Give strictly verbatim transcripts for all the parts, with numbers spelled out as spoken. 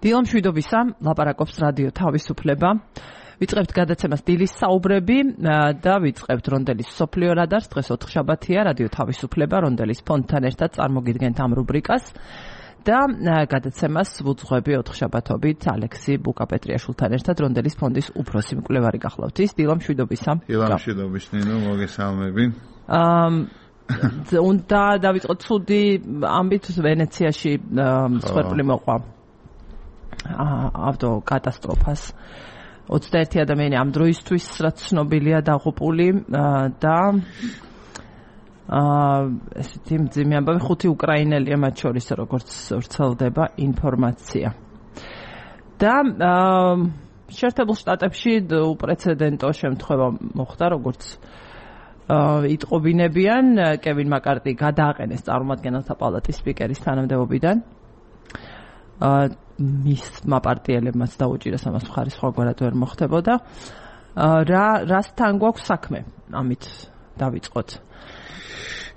დილა მშვიდობისა, ლაპარაკობს რადიო თავისუფლება. ვიწყებთ გადაცემას დილის საუბრები და ვიწყებთ რონდელის სოფლიო რადარს. დღეს ოთხშაბათია, რადიო თავისუფლება რონდელის ფონდთან ერთად წარმოგიდგენთ ამ რუბრიკას და გადაცემას ვუძღვები ოთხშაბათობით ალექსი ბუკაპეტრიაშვილთან ერთად რონდელის ფონდის უფროსი მკვლევარი გახლავთ. ის დილა მშვიდობისა. დილა მშვიდობის ნინო, მოგესალმები. აა უნდა დავიწყოთ ცუდი ამბით ვენეციაში მსხვერპლი მოყვა ავტო კატასტროფას. ოცდაერთი ადამიანი ამ დროისთვის რაც ცნობილია დაღუპული და აა ესეთი მძიმე ამბავი ხუთი უკრაინელია მათ შორის როგორც ვრცელდება ინფორმაცია. და აა შეერთებულ შტატებში უპრეცედენტო შემთხვევა მოხდა როგორც იტყობინებიან კევინ მაკარტი გადააყენეს წარმომადგენელთა პალატის სპიკერის თანამდებობიდან. აა მისმა პარტიელებმაც დაუჭირეს ამას მხარი სხვაგვარად ვერ მოხდებოდა. რა რასთან გვაქვს საქმე? ამით დავიწყოთ.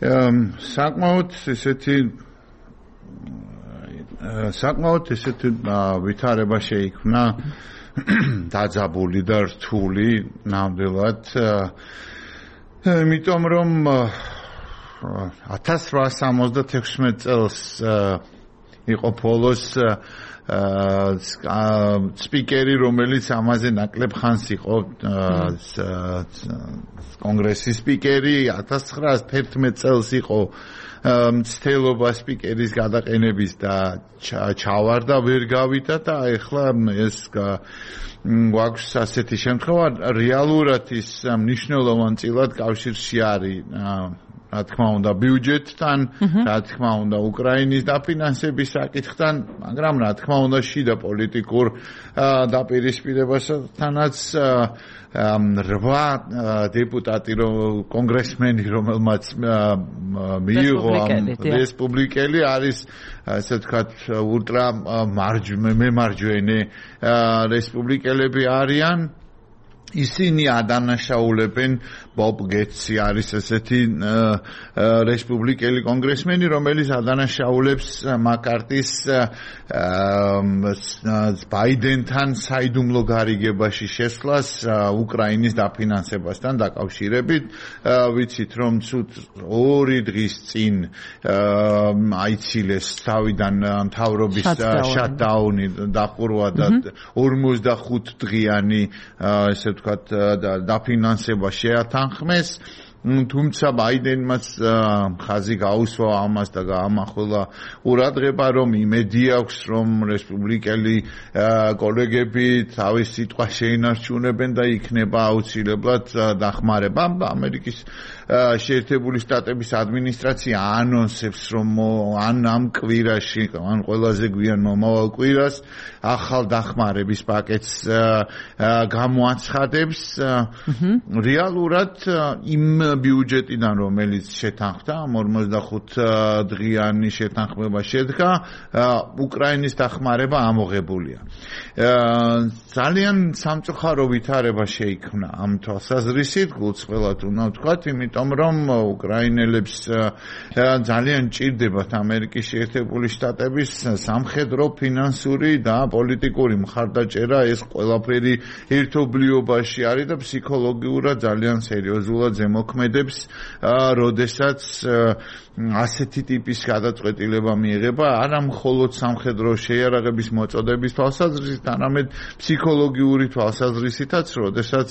საკმაოდ ესეთი საკმაოდ ესეთი ვითარება შეიქმნა დაძაბული და რთული ნამდვილად. იმიტომ რომ ათას რვაასი სამოცდათექვსმეტ წელს იყო ბოლოს სპიკერი, რომელიც ამაზე ნაკლებ ხანს იყო კონგრესის სპიკერი, ათას ცხრაასი თერთმეტ წელს იყო მცდელობა სპიკერის გადაყენების და ჩავარდა ვერ გავიდა და ეხლა ეს გვაქვს ასეთი შემთხვევა. რეალურად ის მნიშვნელოვანწილად კავშირში არის რა თქმა უნდა ბიუჯეტთან, რა თქმა უნდა უკრაინის დაფინანსების საკითხთან, მაგრამ რა თქმა უნდა შიდა პოლიტიკურ დაპირისპირებასთანაც რვა დეპუტატი კონგრესმენი რომელმაც მიიღო რესპუბლიკელი არის ასე ვთქვათ ულტრა მემარჯვენე რესპუბლიკელები არიან. ისინი ადანაშაულებენ ბობ გეტსი არის ესეთი რესპუბლიკელი კონგრესმენი, რომელიც ადანაშაულებს მაკარტის ბაიდენთან საიდუმლო გარიგებაში შესვლას უკრაინის დაფინანსებასთან დაკავშირებით. ვიცით რომ ცუდ ორი დღის წინ აიცილეს თავიდან მთავრობის შატდაუნი დახურვა და ორმოცდახუთ დღიანი ესე ვთქვათ დაფინანსება შეათანხმეს. თუმცა ბაიდენმაც ხაზი გაუსვა ამას და გაამახვილა ყურადღება, რომ იმედი აქვს, რომ რესპუბლიკელი კოლეგები თავის სიტყვას შეინარჩუნებენ და იქნება აუცილებლად დახმარება. ამერიკის შეერთებული შტატების ადმინისტრაცია ანონსებს, რომ ან ამ კვირაში, ან ყველაზე გვიან მომავალ კვირას ახალ დახმარების პაკეტს გამოაცხადებს. რეალურად იმ ბიუჯეტიდან რომელიც შეთანხმდა, ორმოცდახუთ დღიანი შეთანხმება შედგა, უკრაინის დახმარება ამოღებულია. ძალიან სამწუხარო ვითარება შეიქმნა ამ თვალსაზრისით, გულწრფელად უნდა ვთქვათ, იმიტომ რომ უკრაინელებს ძალიან ჭირდებათ ამერიკის შეერთებული შტატების სამხედრო, ფინანსური და პოლიტიკური მხარდაჭერა. ეს ყველაფერი ერთობლიობაში არის და ფსიქოლოგიურად ძალიან სერიოზულად ზემოქმედებს, როდესაც ასეთი ტიპის გადაწყვეტილება მიიღება არა მხოლოდ სამხედრო შეიარაღების მოწოდების თვალსაზრისით, არამედ ფსიქოლოგიური თვალსაზრისითაც, როდესაც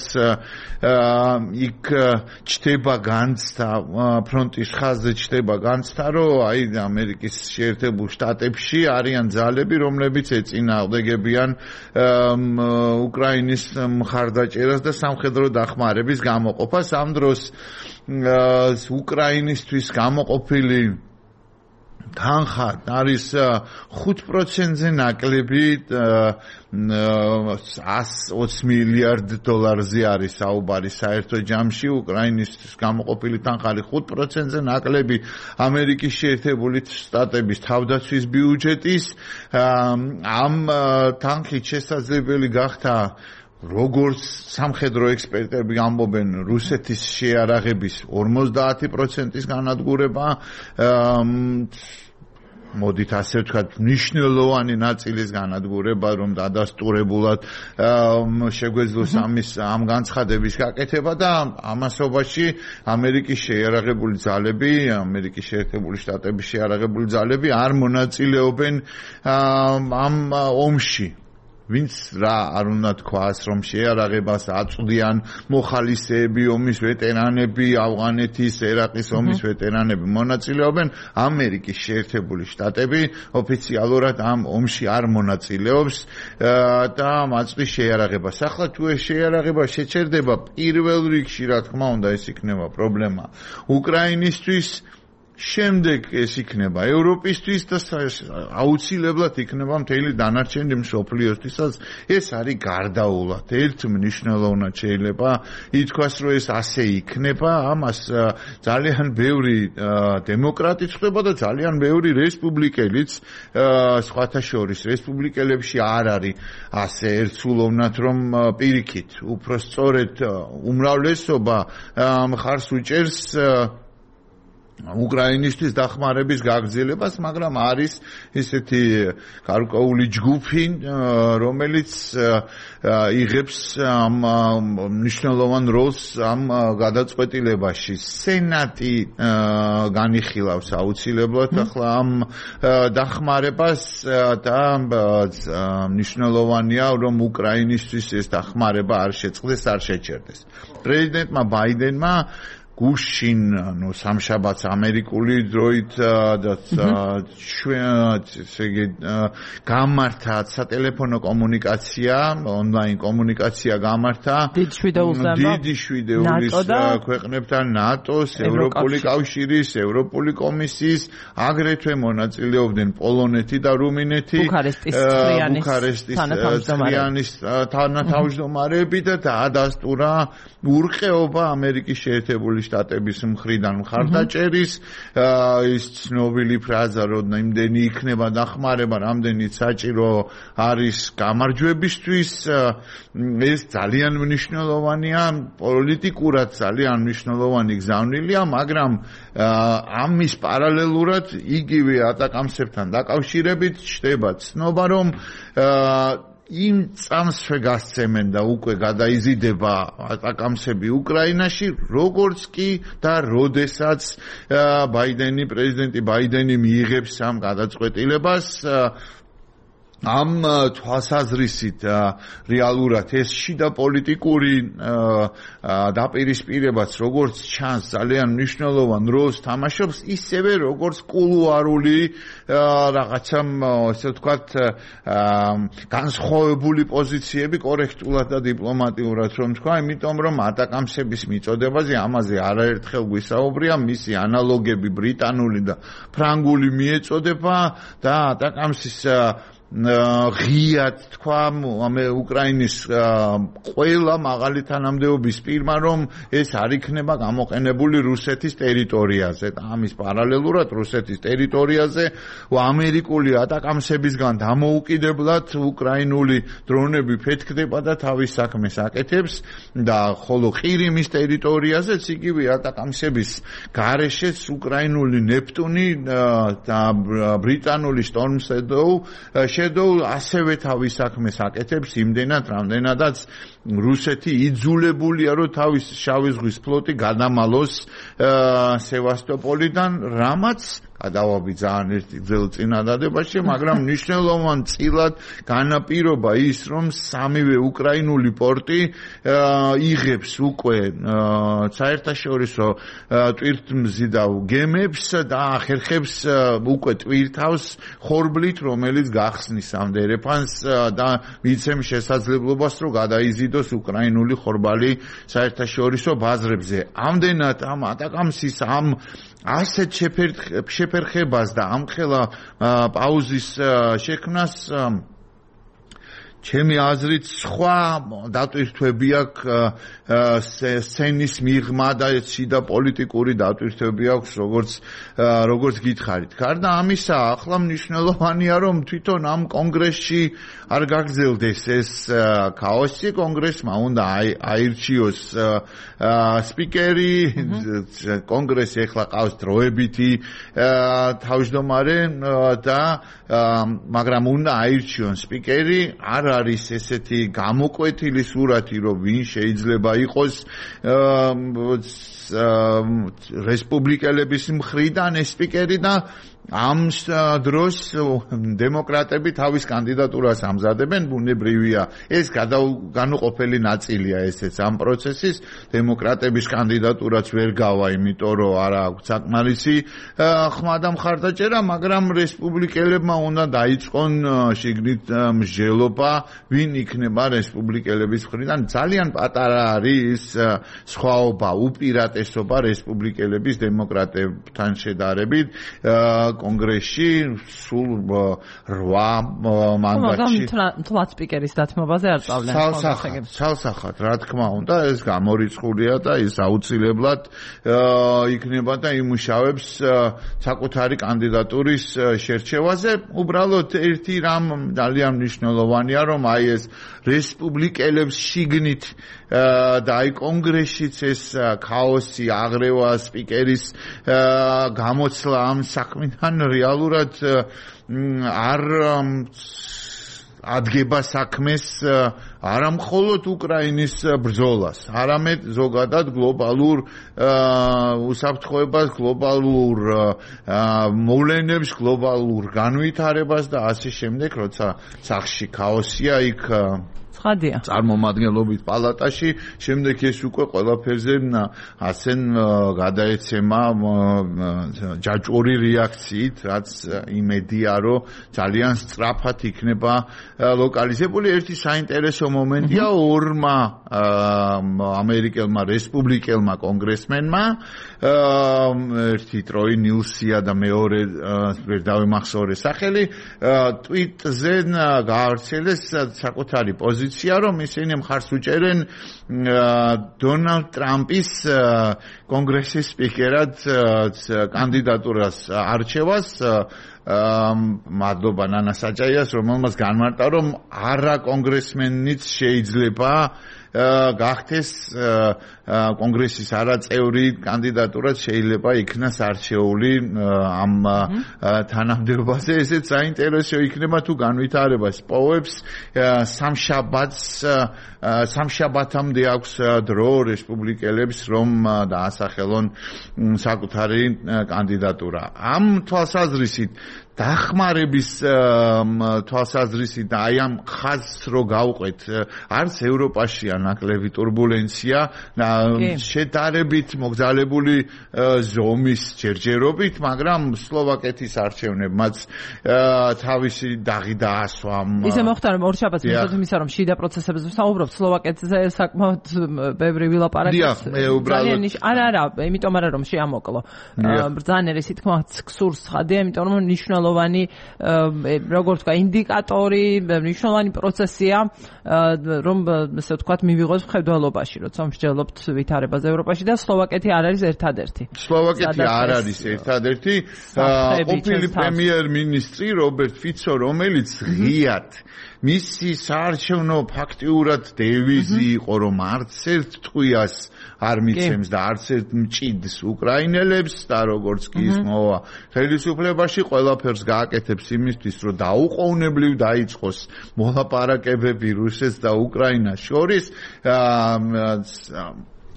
იქ ჩდება განცდა, ფრონტის ხაზზე ჩდება განცდა, რომ აი ამერიკის შეერთებულ შტატებში არიან ძალები, რომლებიც ეწინააღმდეგებიან უკრაინის მხარდაჭერას და სამხედრო დახმარების გამოყოფას. ამ დროს უკრაინისთვის გამოყოფილი თანხა არის ხუთ პროცენტზე ნაკლები, ას ოცი მილიარდ დოლარზე არის საუბარი საერთო ჯამში. უკრაინის გამოყოფილი თანხა არის ხუთ პროცენტზე ნაკლები ამერიკის შეერთებული შტატების თავდაცვის ბიუჯეტის. ამ თანხით შესაძლებელი გახდა როგორც სამხედრო ექსპერტები ამბობენ, რუსეთის შეიარაღების ორმოცდაათი პროცენტის განადგურება, მოდით ასე ვთქვათ, მნიშვნელოვანი ნაწილის განადგურება, რომ დადასტურებულად შეგვეძლოს ამის ამ განცხადების გაკეთება და ამასობაში ამერიკის შეიარაღებული ძალები, ამერიკის შეერთებული შტატების შეიარაღებული ძალები არ მონაწილეობენ ამ ომში. ვინც რა არ უნდა თქვას, რომ შეიარაღებას აწვდიან მოხალისეები, ომის ვეტერანები, ავღანეთის, ერაყის ომის ვეტერანები მონაწილეობენ, ამერიკის შეერთებული შტატები ოფიციალურად ამ ომში არ მონაწილეობს და მაწვდის შეიარაღებას. ახლა თუ ეს შეიარაღება შეჩერდება, პირველ რიგში რა თქმა უნდა ეს იქნება პრობლემა უკრაინისთვის, შემდეგ ეს იქნება ევროპისთვის და აუცილებლად იქნება მთელი დანარჩენი მსოფლიოსთვისაც. ეს არის გარდაულად. ერთ მნიშვნელოვნად შეიძლება ითქვას, რომ ეს ასე იქნება, ამას ძალიან ბევრი დემოკრატი ხდება და ძალიან ბევრი რესპუბლიკელიც, სხვათა შორის რესპუბლიკელებში არ არის ასე ერთსულოვნად, რომ პირიქით, უფრო სწორედ უმრავლესობა მხარს უჭერს უკრაინისთვის დახმარების გაგრძელებას, მაგრამ არის ესეთი გარკვეული ჯგუფი, რომელიც იღებს ამ მნიშვნელოვან როლს ამ გადაწყვეტილებაში. სენატი განიხილავს აუცილებლად ახლა ამ დახმარებას და მნიშვნელოვანია, რომ უკრაინისთვის ეს დახმარება არ შეწყდეს, არ შეჩერდეს. პრეზიდენტმა ბაიდენმა გუშინ, ну, სამშაბათს ამერიკული დროით და ესე იგი გამართა სატელეფონო კომუნიკაცია, ონლაინ კომუნიკაცია გამართა დიდი შვიდეულის ქვეყნებთან, ნატოს, ევროპული კავშირის, ევროპული კომისიის, აგრეთვე მონაწილეობდნენ პოლონეთი და რუმინეთი, ბუქარესტის ცხრიანის თანათავმჯდომარეები და დაადასტურა ურყეობა ამერიკის შეერთებული შტატების მხრიდან მხარდაჭერის, ის ცნობილი ფრაზა, რომ იმდენი იქნება დახმარება, რამდენიც საჭირო არის გამარჯვებისთვის, ეს ძალიან მნიშვნელოვანია, პოლიტიკურად ძალიან მნიშვნელოვანი გზავნილია, მაგრამ ამის პარალელურად იგივე ატაკამსებთან დაკავშირებით ჩნდება ცნობა, რომ იმ წამსვე გასცემენ და უკვე გადაიზიდება ატაკამსები უკრაინაში, როგორც კი და როდესაც ბაიდენი, პრეზიდენტი ბაიდენი მიიღებს ამ გადაწყვეტილებას, ამ თვალსაზრისით რეალურად ეს შიდა პოლიტიკური დაპირისპირებაც როგორც ჩანს ძალიან მნიშვნელოვან როლს თამაშობს, ისევე როგორც კულუარული რაღაცა ასე ვთქვათ განსხვავებული პოზიციები კორექტულად და დიპლომატიურად რომ თქვა, იმიტომ რომ ატაკამსების მიწოდებაზე ამაზე არაერთხელ გვისაუბრია, მისი ანალოგები ბრიტანული და ფრანგული მიეწოდება და ატაკამსის ღიად თქვა უკრაინის ყველა მაღალი თანამდებობის პირმა, რომ ეს არ იქნება გამოყენებული რუსეთის ტერიტორიაზე და ამის პარალელურად რუსეთის ტერიტორიაზე ამერიკული ატაკამსებისგან დამოუკიდებლად უკრაინული დრონები ფეთქდება და თავის საქმეს აკეთებს და ხოლო ყირიმის ტერიტორიაზეც იგივე ატაკამსების გარეშეც უკრაინული ნეპტუნი და ბრიტანული Storm Shadow ასევე თავის საქმეს აკეთებს იმდენად, რამდენადაც რუსეთი იძულებულია, რომ თავის შავი ზღვის ფლოტი გადამალოს სევასტოპოლიდან, რამაც გადავაბი ძალიან ერთი ძველ წინადადებაში, მაგრამ მნიშვნელოვან წილად განაპირობა ის, რომ სამივე უკრაინული პორტი იღებს უკვე საერთაშორისო ტვირთმზიდავ გემებს და ახერხებს უკვე ტვირთავს ხორბლით, რომელიც გახსნის ამ დერეფანს და მიცემს შესაძლებლობას, რომ გადაიზიდოს უკრაინული ხორბალი საერთაშორისო ბაზრებზე. ამდენად ამ ატაკამსის ამ ასეთ შეფერხებას და ამხელა პაუზის შექმნას ჩემი აზრით სხვა დატვირთვები აქვს სცენის მიღმა და სიდა პოლიტიკური დატვირთვები აქვს როგორც როგორც გითხარით. გარდა ამისა, ახლა მნიშვნელოვანია რომ თვითონ ამ კონგრესში არ გაგრძელდეს ეს ქაოსი, კონგრესმა უნდა აირჩიოს სპიკერი, კონგრესი ახლა ყავს დროებითი თავმჯდომარე და მაგრამ უნდა აირჩიონ სპიკერი, არ არის ესეთი გამოკვეთილი სურათი, რომ ვინ შეიძლება იყოს რესპუბლიკელების მხრიდან ეს სპიკერი და ამ დროს დემოკრატები თავის კანდიდატურას ამზადებენ, ბუნებრივია. ეს განუყოფელი ნაწილია ესეც ამ პროცესის. დემოკრატების კანდიდატურაც ვერ გავა, იმიტომ რომ არ აქვს საკმარისი ხმა და მხარდაჭერა, მაგრამ რესპუბლიკელებმა უნდა დაიწყონ შიგნით მსჯელობა, ვინ იქნება რესპუბლიკელების მხრიდან. ძალიან პატარა არის სხვაობა, უპირატესობა რესპუბლიკელების დემოკრატებთან შედარებით. კონგრესში სულ რვა მანდატში თვალ სპიკერის დათმობაზე არ წავლენ ხალხს. ცალსახად, რა თქმა უნდა, ეს გამორიცხულია და ის აუცილებლად იქნება და იმუშავებს საკუთარი კანდიდატურის შერჩევაზე. უბრალოდ ერთი რამ ძალიან მნიშვნელოვანია, რომ აი ეს რესპუბლიკელებს შიგნით და აი კონგრესშიც ეს ქაოსი, აღრევა, სპიკერის გამოცლა ამ საქმიდან რეალურად არ ადგება საქმეს არა მხოლოდ უკრაინის ბრძოლას, არამედ ზოგადად გლობალურ უსაფრთხოებას, გლობალურ მოვლენებს, გლობალურ განვითარებას და ასე შემდეგ, როცა სახში ქაოსია, იქ ხადია. წარმომადგენლობით პალატაში, შემდეგ ეს უკვე ყველაფერზე ასენ გადაეცემა ჯაჭვური რეაქციით, რაც იმედია, რომ ძალიან სწრაფად იქნება ლოკალიზებული. ერთი საინტერესო მომენტია ორმა ამერიკელმა რესპუბლიკელმა კონგრესმენმა, ერთი ტროი ნილსია და მეორე ვერ დავიმახსოვრე სახელი, ტვიტზე გაავრცელეს საკუთარი პოზიცია, რომ ისინი მხარს უჭერენ დონალდ ტრამპის კონგრესის სპიკერად კანდიდატურას არჩევას. მადლობა ნანა საჭაიას, რომელმაც განმარტა, რომ არა კონგრესმენიც შეიძლება გახდეს კონგრესის არაწევრი კანდიდატურაც შეიძლება იქნას არჩეული ამ თანამდებობაზე. ესეც საინტერესო იქნება თუ განვითარებას პოვებს. სამშაბათს სამშაბათამდე აქვს დრო რესპუბლიკელებს, რომ დაასახელონ საკუთარი კანდიდატურა. ამ თვალსაზრისით დახმარების თვალსაზრისით და აი ამ ხაზს რო გავყვეთ, არც ევროპაშია ნაკლები турბულენცია, შედარებით მოგზალებული ზომის ჯერჯერობით, მაგრამ სლოვაკეთის არჩევნებმაც თავისი დაღი დაასვა. ისე მოხდა, რომ ორ შაბათს მისდევთ იმისა, რომ შიდა პროცესებზე ვსაუბრობთ, სლოვაკეთზე საკმაოდ ბევრი ვილაპარაკეთ. ძალიან არა, არა, იმიტომ არა რომ შეამოკლო. ბრძანერ ისე თქმა ქსურს ხადია, იმიტომ რომ მნიშვნელოვანი როგორც ვთქვა ინდიკატორი, მნიშვნელოვანი პროცესია, რომ ესე ვთქვათ მივიღოს მხედველობაში, როცა მსჯელობთ ვითარებას ევროპაში და სლოვაკეთი არ არის ერთადერთი. სლოვაკეთი არ არის ერთადერთი. ყოფილი პრემიერ-მინისტრი რობერტ ფიცო, რომელიც ღიად მისი საარჩევნო ფაქტიურად დევიზი იყო, რომ არც ერთ ტყვიას არ მიცემს და არც ერთ მჭიდს უკრაინელებს და როგორც კი ის მოვა ხელისუფლებაში, ყველაფერს გააკეთებს იმისთვის, რომ დაუყოვნებლივ დაიწყოს მოლაპარაკებები რუსეთს და უკრაინას შორის.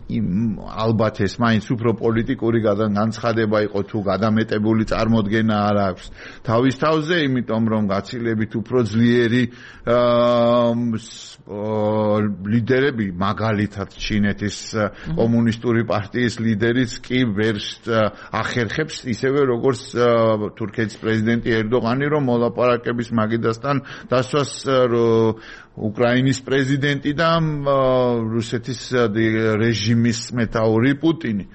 ალბათ ეს მაინც უფრო პოლიტიკური განცხადება იყო თუ გადამეტებული წარმოდგენა არ აქვს თავის თავზე, იმიტომ რომ გაცილებით უფრო ძლიერი ლიდერები, მაგალითად ჩინეთის კომუნისტური პარტიის ლიდერიც კი ვერ ახერხებს ისევე როგორც თურქეთის პრეზიდენტი ერდოღანი, რომ მოლაპარაკების მაგიდასთან დასვას უკრაინის პრეზიდენტი და რუსეთის რეჟიმის მეთაური პუტინი.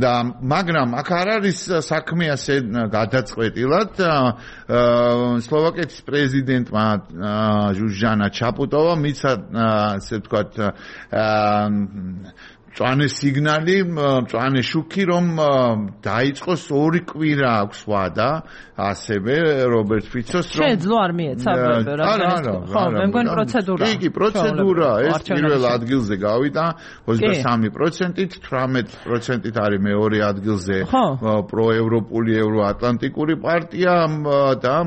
და მაგრამ აქ არ არის საქმე ასე გადაწყვეტილად. სლოვაკეთის პრეზიდენტმა ჟუჟანა ჩაპუტოვა მიცა ასე ვთქვათ მწვანე სიგნალი, მწვანე შუქი, რომ დაიწყოს ორი კვირა აქვს ვადა, ასევე რობერტ ფიცოს რომ შეძლო არ მიეცა რა ხო, მე მგონი პროცედურა. კი, კი, პროცედურა, ეს პირველ ადგილზე გავიდა ოცდასამი პროცენტით, თვრამეტ პროცენტით არის მეორე ადგილზე პროევროპული ევროატლანტიკური პარტია და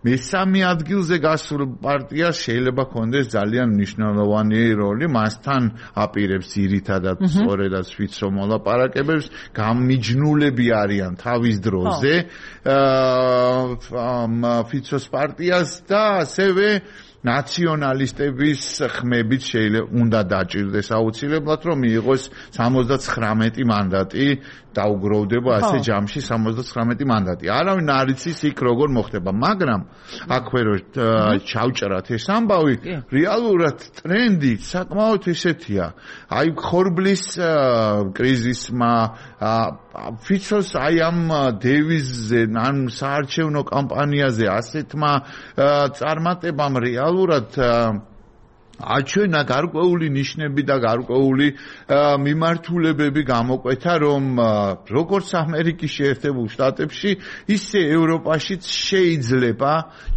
მესამე ადგილზე გასულ პარტიას შეიძლება ქონდეს ძალიან მნიშვნელოვანი როლი, მასთან აპირებს ძირითადად სწორედაც ფიცო მოლაპარაკებებს, გამიჯნულები არიან თავის დროზე ფიცოს პარტიას და ასევე ნაციონალისტების ხმებით შეიძლება უნდა დაჭირდეს აუცილებლად რომ მიიღოს სამოცდათხრამეტი მანდატი დაუგროვდება ასე ჯამში სამოცდათხრამეტი მანდატი. არავინ არ იცის იქ როგორ მოხდება, მაგრამ აქვე რომ ჩავჭრათ ეს ამბავი, რეალურად ტრენდი საკმაოდ ესეთია. აი ხორბლის კრიზისმა ფიცოს აი ამ დევიზზე ან საარჩევნო კამპანიაზე ასეთმა წარმატებამ რეალურად აჩვენა გარკვეული ნიშნები და გარკვეული მიმართულებები გამოკვეთა, რომ როგორც ამერიკის შეერთებულ შტატებში, ისე ევროპაშიც შეიძლება,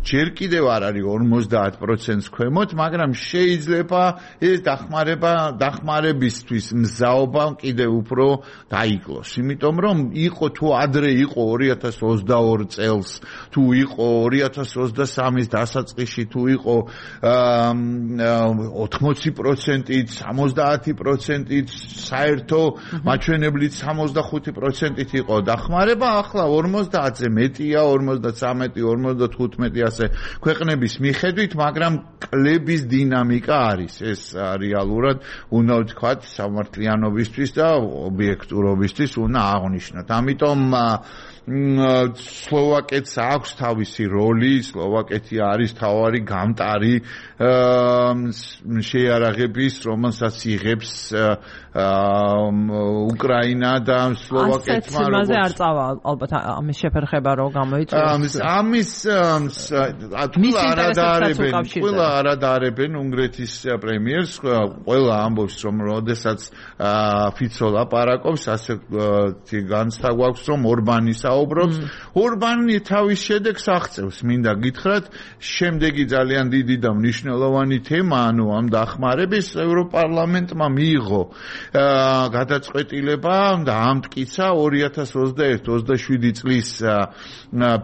ჯერ კიდევ არ არის ორმოცდაათ პროცენტს ქვემოთ, მაგრამ შეიძლება ეს დახმარება, დახმარებისთვის მზაობა კიდევ უფრო დაიკლოს. იმიტომ რომ იყო თუ ადრე იყო ორი ათას ოცდაორი წელს, თუ იყო ორი ათას ოცდასამის დასაწყისში, თუ იყო ოთხმოცი პროცენტით, სამოცდაათი პროცენტით, საერთო მაჩვენებლით სამოცდახუთი პროცენტით იყო დახმარება, ახლა ორმოცდაათზე მეტია, ორმოცდათვრამეტი, ორმოცდათხუთმეტი ასე ქვეყნების მიხედვით, მაგრამ კლების დინამიკა არის. ეს რეალურად უნდა ვთქვათ სამართლიანობისთვის და ობიექტურობისთვის უნდა აღვნიშნოთ. ამიტომ სლოვაკეთს აქვს თავისი როლი, სლოვაკეთი არის თავარი გამტარი შეიარაღების, რომელსაც იღებს უკრაინა და სლოვაკეთმა როგორც მასე არ წავა ალბათ ამის შეფერხება რო გამოიწვიოს. ამის თულა არადარებენ, ყველა არადარებენ უნგრეთის პრემიერს, ყველა ამბობს რომ როდესაც ფიცო ლაპარაკობს, ასე განცდა გვაქვს რომ ორბანის საუბრობს. ორბანი თავის შედეგს აღწევს, მინდა გითხრათ, შემდეგი ძალიან დიდი და მნიშვნელოვანი თემა, ანუ ამ დახმარების ევროპარლამენტმა მიიღო გადაწყვეტილება და ამტკიცა ორი ათას ოცდაერთი ოცდაშვიდი წლის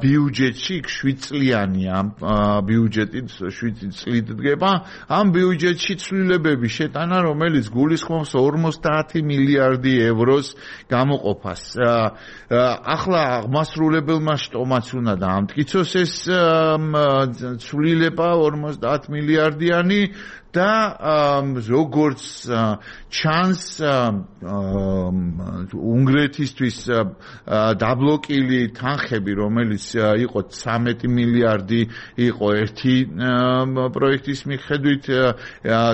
ბიუჯეტში, შვიდ წლიანია ბიუჯეტი, შვიდ წლით დგება, ამ ბიუჯეტში ცვლილებები შეტანა, რომელიც გულისხმობს ორმოცდაათი მილიარდი ევროს გამოყოფას. ახლა აღმასრულებელმა შტომაც უნდა დაამტკიცოს ეს ცვლილება ორმოცდაათ მილიარდიანი და როგორც ჩანს უნგრეთისთვის დაბლოკილი თანხები, რომელიც იყო ცამეტი მილიარდი, იყო ერთი პროექტის მიხედვით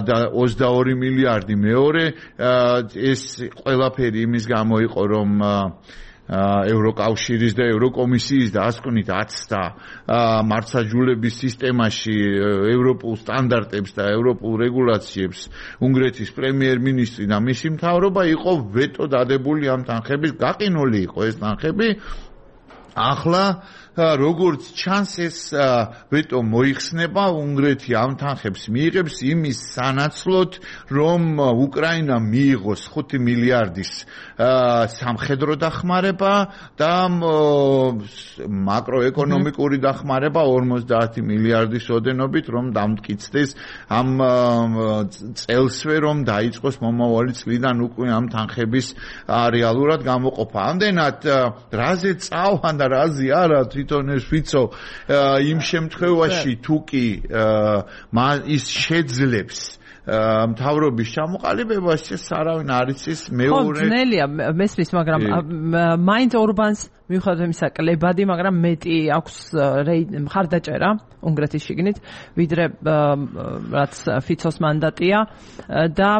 და ოცდაორი მილიარდი მეორე, ეს ყველაფერი იმის გამო იყო, რომ ევროკავშირის და ევროკომისიის და ასკვნით აცდა მართლმსაჯულების სისტემაში ევროპულ სტანდარტებს და ევროპულ რეგულაციებს უნგრეთის პრემიერ-მინისტრი და მისი მთავრობა იყო ვეტო დადებული ამ თანხების, გაყინული იყო ეს თანხები. ახლა როგორც ჩანს ეს ვეტო მოიხსნება, უნგრეთი ამ თანხებს მიიღებს იმის სანაცვლოდ, რომ უკრაინა მიიღოს ხუთი მილიარდის სამხედრო დახმარება და მაკროეკონომიკური დახმარება ორმოცდაათი მილიარდის ოდენობით, რომ დამტკიცდეს ამ წელსვე, რომ დაიწყოს მომავალი წლიდან უკვე ამ თანხების რეალურად გამოყოფა. ამდენად რაზე წავან და რაზე არა თვითონ ეს ფიცო იმ შემთხვევაში თუ კი ის შეძლებს მთავრობის ჩამოყალიბებას, ეს არავინ არ იცის მეორე. ხო, ძნელია მესმის, მაგრამ მაინც ორბანს მიუხედავად იმისა, კლებადი, მაგრამ მეტი აქვს მხარდაჭერა უნგრეთის შიგნით, ვიდრე რაც ფიცოს მანდატია და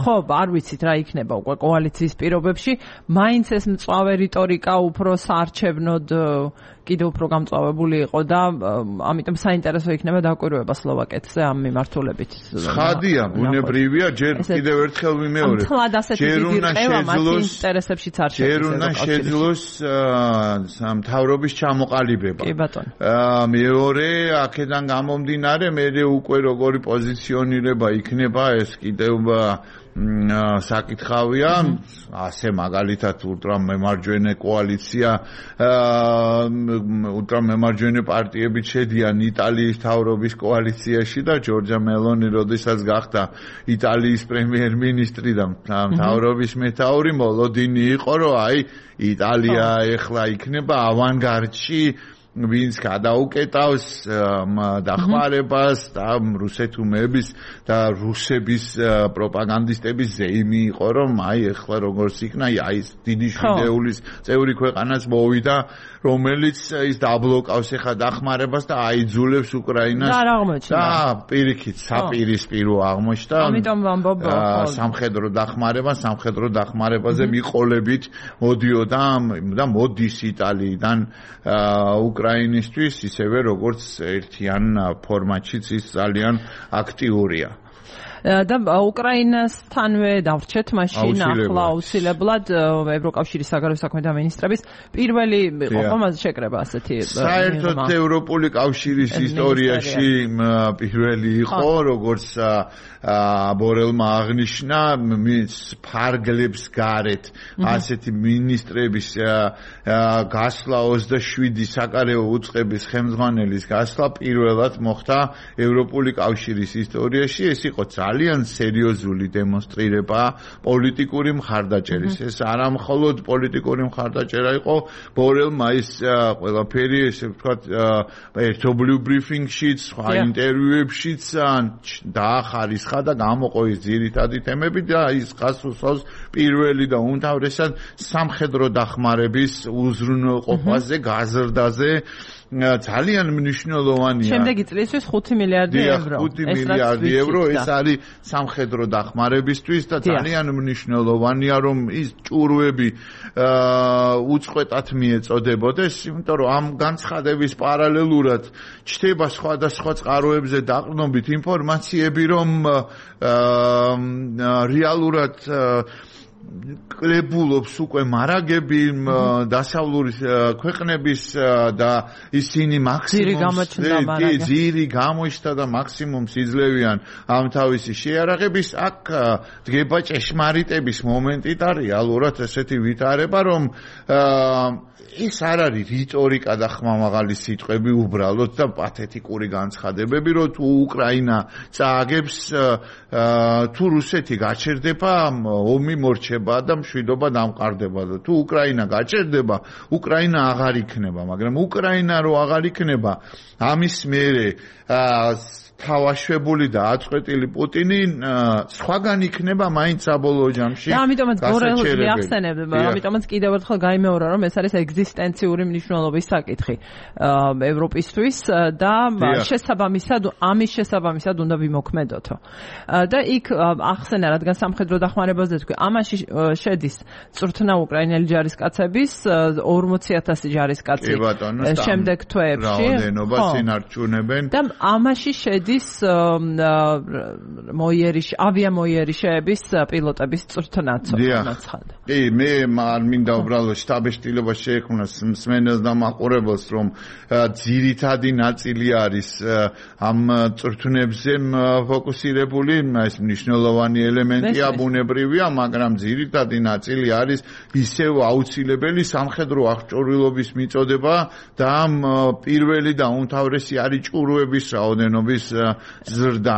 ხო, არ ვიცით რა იქნება უკვე კოალიციის პირობებში, მაინც ეს მწვავე რიტორიკა უფრო საარჩევნოდ კიდევ უფრო გამწვავებული იყო და ამიტომ საინტერესო იქნება დაკვირვება სლოვაკეთზე ამ მიმართულებით. ხადია, ბუნებრივია, ჯერ კიდევ ერთხელ ვიმეორებ. ჯერ უნდა შეძლოს ინტერესებშიც არ შეძლოს. ჯერ უნდა შეძლოს მთავრობის ჩამოყალიბება. კი ბატონო. მეორე, აქედან გამომდინარე, მე უკვე როგორი პოზიციონირება იქნება ეს კიდევ საკითხავია, ასე მაგალითად ულტრამემარჯვენე კოალიცია, ულტრამემარჯვენე პარტიები შედიან იტალიის მთავრობის კოალიციაში და ჯორჯა მელონი როდესაც გახდა იტალიის პრემიერ-მინისტრი და მთავრობის მეთაური, მოლოდინი იყო, რომ აი იტალია ეხლა იქნება ავანგარდში, ვინც გადაუკეტავს დახმარებას და რუსეთუმების და რუსების პროპაგანდისტების ზეიმი იყო, რომ აი ეხლა როგორც იქნა, აი ეს დიდი შვიდეულის წევრი ქვეყანაც მოვიდა, რომელიც ის დაბლოკავს ეხლა დახმარებას და აიძულებს უკრაინას და პირიქით საპირისპირო აღმოჩნდა. ამიტომ ვამბობ სამხედრო დახმარება, სამხედრო დახმარებაზე მიყოლებით მოდიოდა და მოდის იტალიიდან უკრაინისთვის, ისევე როგორც ერთიან ფორმატშიც ის ძალიან აქტიურია. და უკრაინასთანვე დავრჩეთ მაშინ ახლა აუცილებლად ევროკავშირის საგარეო საქმეთა მინისტრების პირველი იყო ხომაზე შეკრება ასეთი საერთოდ ევროპული კავშირის ისტორიაში პირველი იყო, როგორც ბორელმა აღნიშნა, ფარგლებს გარეთ ასეთი მინისტრების გასვლა ოცდაშვიდი საკარეო უწყების ხელმძღვანელის გასვლა პირველად მოხდა ევროპული კავშირის ისტორიაში. ეს იყო ძალიან სერიოზული დემონსტრირება პოლიტიკური მხარდაჭერის. ეს არა მხოლოდ პოლიტიკური მხარდაჭერა იყო, ბორელმა ის ყველაფერი, ესე ვთქვათ, ერთობლივ ბრიფინგშიც, სხვა ინტერვიუებშიც დაახარისხა და გამოყო ის ძირითადი თემები და ის გასულსავს პირველი და უმთავრესად სამხედრო დახმარების უზრუნველყოფაზე, გაზრდაზე ძალიან მნიშვნელოვანია. შემდეგი წლისთვის ხუთი მილიარდი ევრო. ხუთი მილიარდი ევრო ეს არის სამხედრო დახმარებისთვის და ძალიან მნიშვნელოვანია, რომ ის ჭურვები უწყვეტად მიეწოდებოდეს, იმიტომ რომ ამ განცხადების პარალელურად ჩდება სხვადასხვა წყაროებზე დაყრდნობით ინფორმაციები, რომ რეალურად კლებულობს უკვე მარაგები დასავლური ქვეყნების და ისინი მაქსიმუმ ძირი გამოჩნდა და მაქსიმუმს იძლევიან ამ თავისი შეარაღების. აქ დგება ჭეშმარიტების მომენტი და რეალურად ესეთი ვითარება, რომ ეს არ არის რიტორიკა და ხმამაღალი სიტყვები უბრალოდ და პათეტიკური განცხადებები, რომ თუ უკრაინა წააგებს, თუ რუსეთი გაჩერდება, ომი მორჩება და მშვიდობა დამყარდება და თუ უკრაინა გაჩერდება, უკრაინა აღარ იქნება, მაგრამ უკრაინა რო აღარ იქნება, ამის მერე თავაშვებული და აწყვეტილი პუტინი სხვაგან იქნება მაინც საბოლოო ჯამში. და ამიტომაც ბორელს ახსენებ, ამიტომაც კიდევ ერთხელ გაიმეორა, რომ ეს არის ეგზისტენციური მნიშვნელობის საკითხი ევროპისთვის და შესაბამისად ამის შესაბამისად უნდა ვიმოქმედოთო. და იქ ახსენა, რადგან სამხედრო დახმარებაზე თქვი, ამაში შედის წვრთნა უკრაინელი ჯარისკაცების ორმოცი ათასი ჯარისკაცი შემდეგ თვეებში. რაოდენობა სინარჩუნებენ. და ამაში შედის მოიერიშ ავიამოიერიშების პილოტების წვრთნაც მოცხადა. კი, მე არ მინდა უბრალოდ შტაბეშტილობა შეექმნას მსმენელს და მაყურებელს, რომ ძირითადი ნაწილი არის ამ წვრთნებზე ფოკუსირებული, ეს მნიშვნელოვანი ელემენტია, ბუნებრივია, მაგრამ ძირითადი ნაწილი არის ისევ აუცილებელი სამხედრო აღჭურვილობის მიწოდება და ამ პირველი და უმთავრესი არის ჭურვების რაოდენობის ზრდა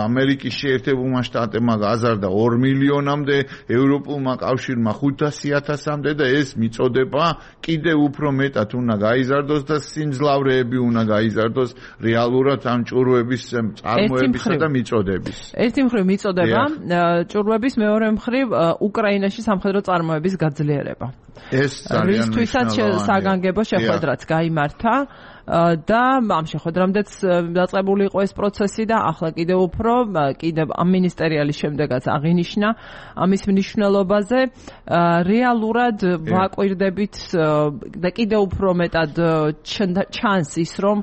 ამერიკის შეერთებულმა შტატებმა გაზარდა ორ მილიონამდე, ევროპულმა კავშირმა ხუთასი ათასამდე და ეს მიწოდება კიდევ უფრო მეტად უნდა გაიზარდოს და სიმძლავრეები უნდა გაიზარდოს რეალურად ამ ჭურვების წარმოებისა და მიწოდების. ერთი მხრივ მიწოდება ჭურვების, მეორე მხრივ უკრაინაში სამხედრო წარმოების გაძლიერება. ეს ძალიან რისთვისაც საგანგებო შეხვედრაც გაიმართა და ამ შეხვედრამდეც დაწყებული იყო ეს პროცესი და ახლა კიდევ უფრო კიდევ ამ მინისტერიალის შემდეგაც აღინიშნა ამის მნიშვნელობაზე. რეალურად ვაკვირდებით და კიდევ უფრო მეტად ჩანს ის, რომ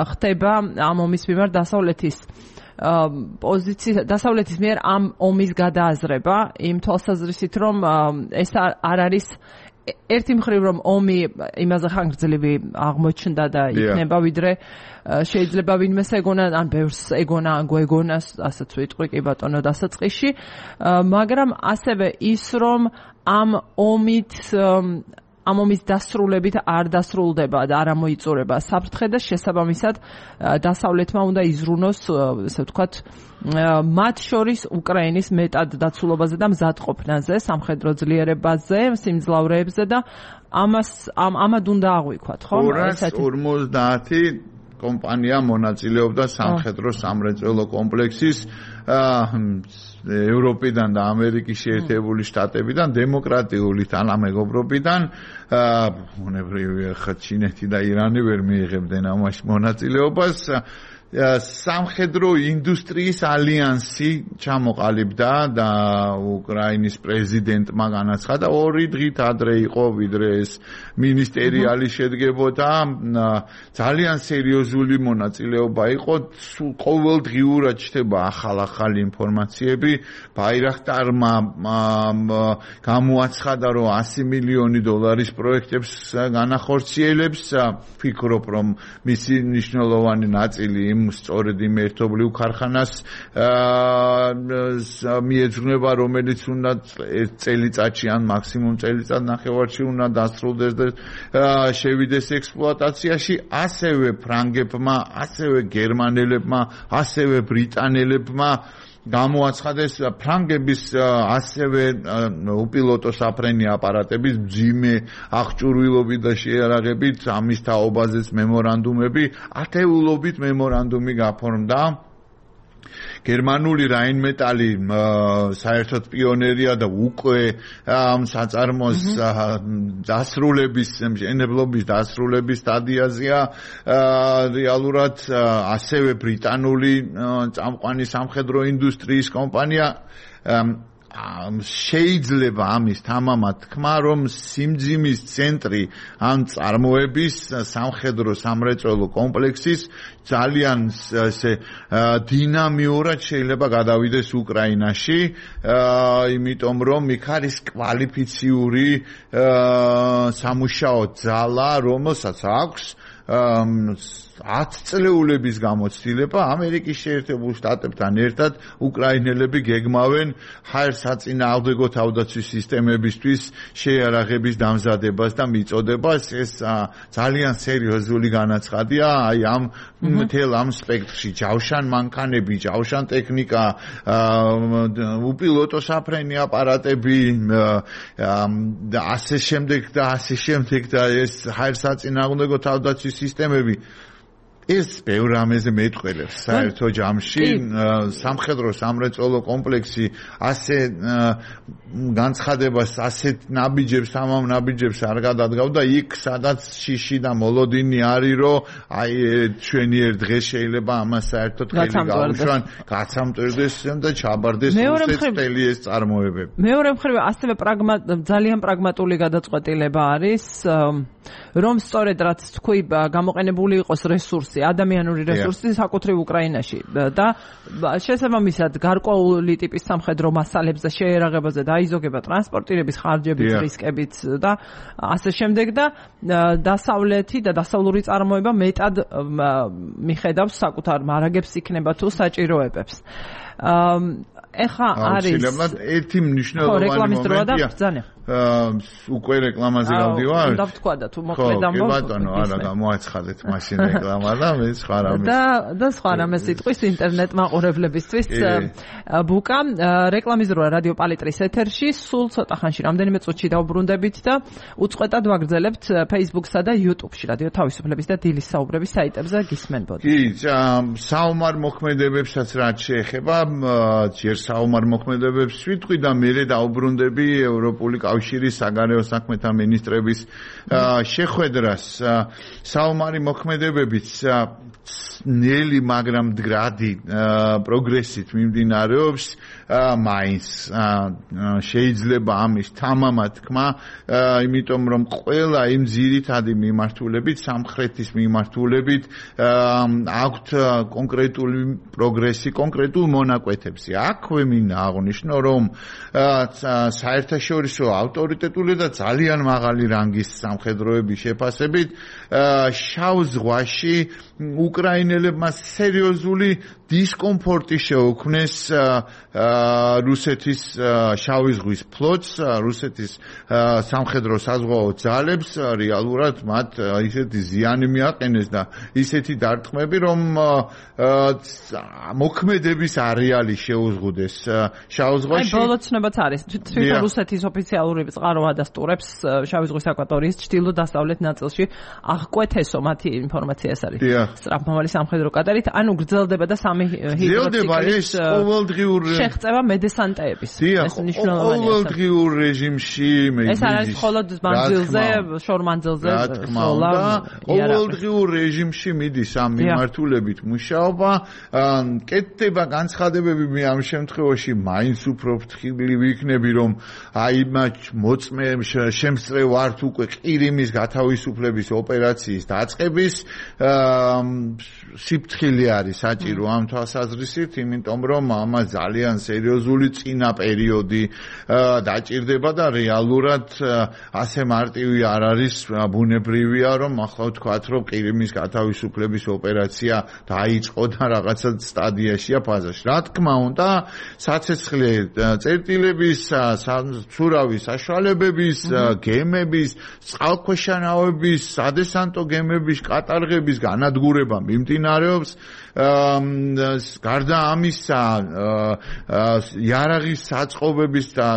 ხდება ამ ომის მიმართ დასავლეთის პოზიცია დასავლეთის მიერ ამ ომის გადააზრება იმ თვალსაზრისით, რომ ეს არ არის ერთი მხრივ რომ ომი იმაზე ხანგრძლივი აღმოჩნდა და იქნება ვიდრე შეიძლება ვინმეს ეგონა ან ბევრს ეგონა ან გვეგონას ასეც ვიტყვი კი ბატონო დასაწყისში, მაგრამ ასევე ის რომ ამ ომით ამ ომის დასრულებით არ დასრულდება და არ ამოიწურება საფრთხე და შესაბამისად დასავლეთმა უნდა იზრუნოს, ესე ვთქვათ, მათ შორის უკრაინის მეტად დაცულობაზე და მზადყოფნაზე, სამხედრო ძლიერებაზე, სიმძლავრეებზე და ამას ამად უნდა აღვიქვათ, ხო? ორას ორმოცდაათი კომპანია მონაწილეობდა სამხედრო სამრეწველო კომპლექსის ევროპიდან და ამერიკის შეერთებული შტატებიდან, დემოკრატიული თანამეგობრობიდან, უნებრივია ხა ჩინეთი და ირანი ვერ მიიღებდნენ ამაში მონაწილეობას. სამხედრო ინდუსტრიის ალიანსი ჩამოყალიბდა და უკრაინის პრეზიდენტმა განაცხადა, ორი დღით ადრე იყო ვიდრე ეს მინისტერიალი შედგებოდა. ძალიან სერიოზული მონაწილეობა იყო, ყოველდღიურად ჩნდება ახალ-ახალი ინფორმაციები. ბაირაქტარმა გამოაცხადა, რომ ასი მილიონი დოლარის პროექტებს განახორციელებს. ვფიქრობ, რომ მისი მნიშვნელოვანი ნაწილი სწორედ იმ ერთობლივ ქარხანას მიეძღვნება, რომელიც უნდა ერთ წელიწადში ან მაქსიმუმ წელიწად ნახევარში უნდა დასრულდეს და შევიდეს ექსპლუატაციაში. ასევე ფრანგებმა, ასევე გერმანელებმა, ასევე ბრიტანელებმა გამოაცხადეს ფრანგების ასევე უპილოტო საფრენი აპარატების მძიმე აღჭურვილობით და შეიარაღებით ამის თაობაზეც მემორანდუმები, ათეულობით მემორანდუმი გაფორმდა. გერმანული რაინმეტალი საერთოდ პიონერია და უკვე ამ საწარმოს დასრულების, მშენებლობის დასრულების სტადიაზეა. რეალურად ასევე ბრიტანული წამყვანი სამხედრო ინდუსტრიის კომპანია შეიძლება ამის თამამად თქმა, რომ სიმძიმის ცენტრი ამ წარმოების სამხედრო სამრეწველო კომპლექსის ძალიან ესე დინამიურად შეიძლება გადავიდეს უკრაინაში, იმიტომ რომ იქ არის კვალიფიციური სამუშაო ძალა, რომელსაც აქვს ათი წლეულების გამოცდილება. ამერიკის შეერთებულ შტატებთან ერთად უკრაინელები გეგმავენ ჰაერსაწინააღმდეგო თავდაცვის სისტემებისთვის შეიარაღების დამზადებას და მიწოდებას. ეს ძალიან სერიოზული განაცხადია. აი ამ მთელ ამ სპექტრში ჯავშან მანქანები, ჯავშან ტექნიკა, უპილოტო საფრენი აპარატები და ასე შემდეგ და ასე შემდეგ და ეს ჰაერსაწინააღმდეგო თავდაცვის სისტემები ეს ბევრ რამეზე მეტყველებს საერთო ჯამში. სამხედრო სამრეწველო კომპლექსი ასე განცხადებას, ასეთ ნაბიჯებს, ამამ ნაბიჯებს არ გადადგავდა იქ, სადაც შიში და მოლოდინი არის, რომ აი ჩვენი ერთ დღეს შეიძლება ამას საერთოდ ხელი გაუშვან, გაცამტვირდეს და ჩაბარდეს რუსეთს მთელი ეს წარმოებები. მეორე მხრივ ასევე ძალიან პრაგმატული გადაწყვეტილება არის, რომ სწორედ რაც თქვი, გამოყენებული იყოს რესურსი, ადამიანური რესურსი საკუთრივ უკრაინაში და შესაბამისად გარკვეული ტიპის სამხედრო მასალებზე, შეიარაღებაზე დაიზოგება ტრანსპორტირების ხარჯებით, რისკებით და ასე შემდეგ და დასავლეთი და დასავლური წარმოება მეტად მიხედავს საკუთარ მარაგებს იქნება თუ საჭიროებებს. ეხა არის ერთი მნიშვნელოვანი მომენტია. უკვე რეკლამაზე გავდივარ? უნდა ვთქვა და თუ მოკლედ ამბობ. ხო, ბატონო, არა, გამოაცხადეთ მაშინ რეკლამა და მე სხვა რამე. და და სხვა რამე სიტყვის ინტერნეტ მაყურებლებისთვის ბუკა რეკლამის დროა რადიო პალიტრის ეთერში, სულ ცოტა ხანში რამდენიმე წუთში დავბრუნდებით და უწყვეტად ვაგრძელებთ Facebook-სა და YouTube-ში რადიო თავისუფლების და დილის საუბრების საიტებზე გისმენბოდით. კი, საომარ მოქმედებებსაც რაც შეეხება, ჯერ საომარ მოქმედებებს ვიტყვი და მერე დავბრუნდები ევროპული კავშირის საგარეო საქმეთა მინისტრების შეხვედრას. საომარი მოქმედებებიც ნელი, მაგრამ მდგრადი პროგრესით მიმდინარეობს. მაინც შეიძლება ამის თამამად თქმა, იმიტომ რომ ყველა იმ ძირითადი მიმართულებით, სამხრეთის მიმართულებით აქვთ კონკრეტული პროგრესი, კონკრეტულ მონაკვეთებზე. აქვე მინდა აღვნიშნო, რომ საერთაშორისო ავტორიტეტული და ძალიან მაღალი რანგის სამხედროების შეფასებით შავ ზღვაში უკრაინელებმა სერიოზული დისკომფორტი შეუქმნეს რუსეთის შავი ზღვის ფლოტს, რუსეთის სამხედრო საზღვაო ძალებს, რეალურად მათ ისეთი ზიანი მიაყენეს და ისეთი დარტყმები, რომ მოქმედების არეალი შეუზღუდეს შავ ზღვაში. აი, ბოლო ცნობაც არის. თვითონ რუსეთის ოფიციალური წყარო ადასტურებს შავი ზღვის აკვატორიის ჩრდილო-დასავლეთ ნაწილში აღკვეთესო მათი ინფორმაცია ეს არის. სწრაფმავალი სამხედრო კატერით, ანუ გრძელდება და სამი ჰიდროციკლების ყოველდღიურ შეღწევა მედესანტეების. ეს მნიშვნელოვანია. ყოველდღიურ რეჟიმში ეს არის მხოლოდ მანძილზე, შორმანძილზე სოლა. ყოველდღიურ რეჟიმში მიდის ამ მიმართულებით მუშაობა. კეთდება განცხადებები, მე ამ შემთხვევაში მაინც უფრო ფრთხილი ვიქნები, რომ აი მათ მოწმე შემსწრე ვართ უკვე ყირიმის გათავისუფლების ოპერაციის დაწყების სიფრთხილე არის საჭირო ამ თვალსაზრისით, იმიტომ რომ ამას ძალიან სერიოზული წინა პერიოდი დაჭირდება და რეალურად ასე მარტივი არ არის, ბუნებრივია, რომ ახლა ვთქვათ, რომ ყირიმის გათავისუფლების ოპერაცია დაიწყო და რაღაცა სტადიაშია ფაზაში. რა თქმა უნდა, საცეცხლე წერტილების, ცურავის საშუალებების, გემების, წყალქვეშა ნავების, სადესანტო გემების კატარღების განადგურება მიმდინარეობს. გარდა ამისა, იარაღის საწყობების და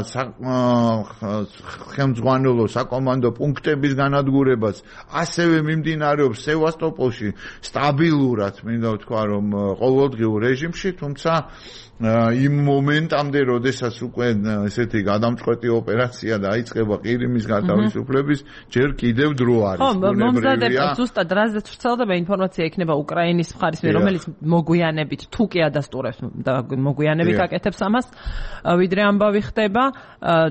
ხელმძღვანელო საკომანდო პუნქტების განადგურებას ასევე მიმდინარეობს სევასტოპოლში სტაბილურად, მინდა ვთქვა, რომ ყოველდღიურ რეჟიმში, თუმცა იმ მომენტამდე, როდესაც უკვე ესეთი გადამწყვეტი ოპერაცია დაიწყება ყირიმის გათავისუფლების, ჯერ კიდევ დრო არის. ხო, მომზადება ზუსტად რაზეც ვრცელდება ინფორმაცია იქნება უკრაინის მხარის მიერ, რომელიც მოგვიანებით თუ კი ადასტურებს და მოგვიანებით აკეთებს ამას, ვიდრე ამბავი ხდება,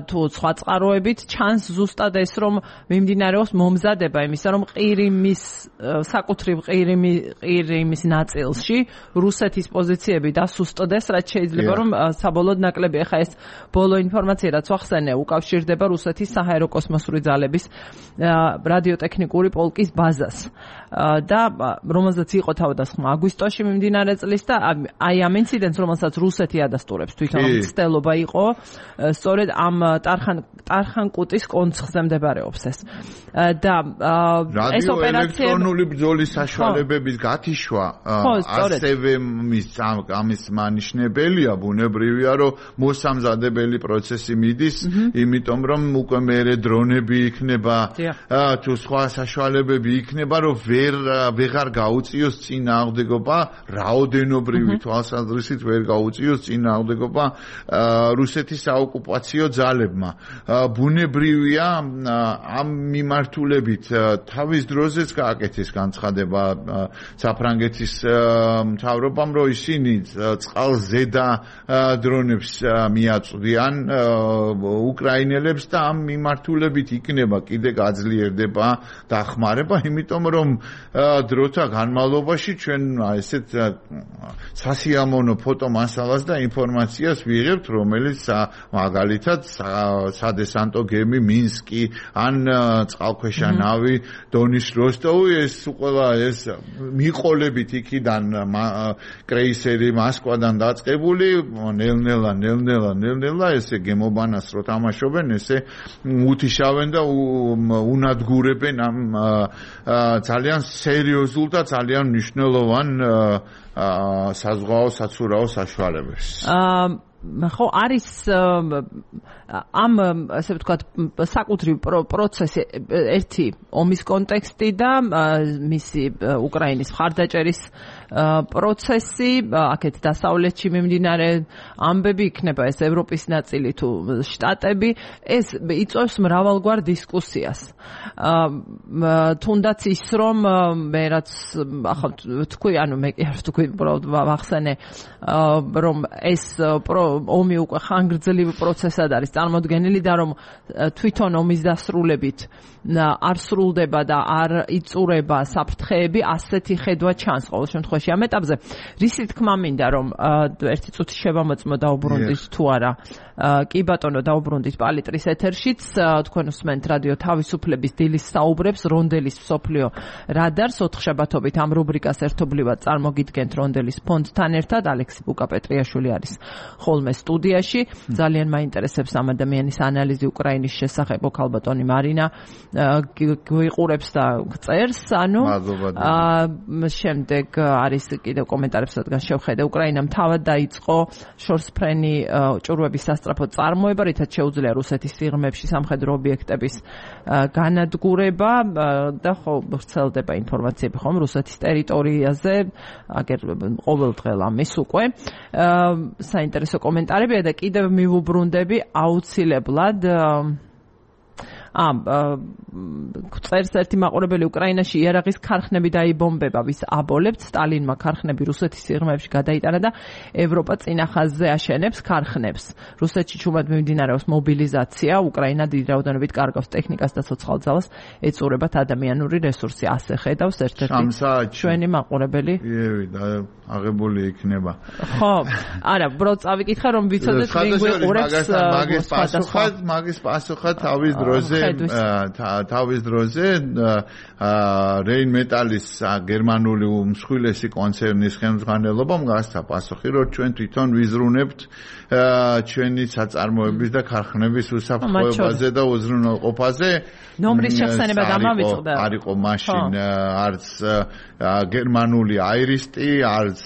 თუ სხვა წყაროებით ჩანს ზუსტად ეს, რომ მიმდინარეობს მომზადება იმისა, რომ ყირიმის საკუთრივ ყირიმის ნაწილში რუსეთის პოზიციები დასუსტდეს, რაც შეიძლება რომ საბოლოოდ ნაკლები. ახლა ეს ბოლო ინფორმაცია რაც ვახსენე უკავშირდება რუსეთის საჰაერო კოსმოსური ძალების რადიოტექნიკური პოლკის ბაზას და რომელზეც იყო თავდასხმა აგვისტოში მიმდინარე წლის და აი ამ ინციდენტს რომელსაც რუსეთი ადასტურებს თვითონ ცდელობა იყო სწორედ ამ ტარხან ტარხანკუტის კონცხზე მდებარეობს ეს და ეს ოპერაცია ელექტრონული ბრძოლის საშუალებების გათიშვა ასევე ამის მანიშნებელია, ბუნებრივია, რომ მოსამზადებელი პროცესი მიდის, იმიტომ რომ უკვე მერე დრონები იქნება, თუ სხვა საშუალებები იქნება, რომ ვერ ვეღარ გაუწიოს წინააღმდეგობა, რაოდენობრივი თვალსაზრისით ვერ გაუწიოს წინააღმდეგობა რუსეთის საოკუპაციო ძალებმა. ბუნებრივია, ამ მიმართულებით თავის დროზეც გააკეთეს განცხადება საფრანგეთის მთავრობამ, რომ ისინი წყალზედა დრონებს მიაწვდიან უკრაინელებს და ამ მიმართულებით იქნება კიდე გაძლიერდება დახმარება, იმიტომ რომ დროთა განმავლობაში ჩვენ ესეთ სასიამოვნო ფოტომასალას და ინფორმაციას ვიღებთ, რომელიც მაგალითად სადესანტო გემი მინსკი ან წყალქვეშა ნავი დონის როსტოვი, ეს ყველა ეს მიყოლებით იქიდან კრეისერი მოსკვადან დაწყებული დაწყებული, ნელ-ნელა, ნელ-ნელა, ნელ-ნელა ესე გემობანას რო თამაშობენ, ესე უთიშავენ და უნადგურებენ ამ ძალიან სერიოზულ და ძალიან მნიშვნელოვან საზღვაო საცურაო საშუალებებს. ხო არის ამ ასე ვთქვათ საკუთრივ პროცესი ერთი ომის კონტექსტი და მისი უკრაინის მხარდაჭერის პროცესი, აქეთ დასავლეთში მიმდინარე ამბები იქნება ეს ევროპის ნაწილი თუ შტატები, ეს იწვევს მრავალგვარ დისკუსიას. თუნდაც ის რომ მე რაც ახლა თქვი, ანუ მე კი არ ვთქვი, უბრალოდ ვახსენე რომ ეს ომი უკვე ხანგრძლივ პროცესად არის წარმოდგენილი და რომ თვითონ ომის დასრულებით არ სრულდება და არ იწურება საფრთხეები, ასეთი ხედვა ჩანს ყოველ შემთხვევაში ამ ეტაპზე. რისი თქმა მინდა რომ ერთი წუთი შევამოწმო დაუბრუნდით თუ არა. კი ბატონო, დაუბრუნდით პალიტრის ეთერშიც, თქვენ უსმენთ რადიო თავისუფლების დილის საუბრებს რონდელის მსოფლიო რადარს ოთხშაბათობით ამ რუბრიკას ერთობლივად წარმოგიდგენთ რონდელის ფონდთან ერთად. ალექსი ბუკა-პეტრიაშვილი არის ხოლმე სტუდიაში. ძალიან მაინტერესებს ამ ადამიანის ანალიზი უკრაინის შესახებ. ქალბატონი მარინა გვიყურებს და წერს, ანუ შემდეგ არის კიდევ კომენტარებს რადგან შევხედე. უკრაინამ თავად დაიწყო შორსფრენი ჭურვების სასწრაფო წარმოება, რითაც შეუძლია რუსეთის სიღრმეებში სამხედრო ობიექტების განადგურება და ხო ვრცელდება ინფორმაციები ხომ რუსეთის ტერიტორიაზე, აგერ ყოველდღე ამის უკვე საინტერესო კომენტარებია და კიდევ მივუბრუნდები აუცილებლად ამ წერს ერთი მაყურებელი უკრაინაში იარაღის ქარხნები დაიბომბება, ვის აბოლებთ, სტალინმა ქარხნები რუსეთის სიღრმეებში გადაიტანა და ევროპა წინა ხაზზე აშენებს ქარხნებს. რუსეთში ჩუმად მიმდინარეობს მობილიზაცია, უკრაინა დიდი რაოდენობით კარგავს ტექნიკას და ცოცხალ ძალას, ეწურებათ ადამიანური რესურსი. ასე ხედავს ერთ-ერთი ჩვენი მაყურებელი. იევი და აღებული იქნება. ხო, არა, უბრალოდ წავიკითხე რომ ვიცოდეთ ვინ გვიყურებს. მაგის პასუხად, მაგის პასუხად თავის დროზე თავის დროზე რეინ მეტალის გერმანული უმსხვილესი კონცერნის ხელმძღვანელობამ გასცა პასუხი, რომ ჩვენ თვითონ ვიზრუნებთ ჩვენი საწარმოების და ქარხნების უსაფრთხოებაზე და უზრუნველყოფაზე. ნომრის შეხსენება გამავიწყდა. არ იყო მაშინ არც გერმანული აირისტი, არც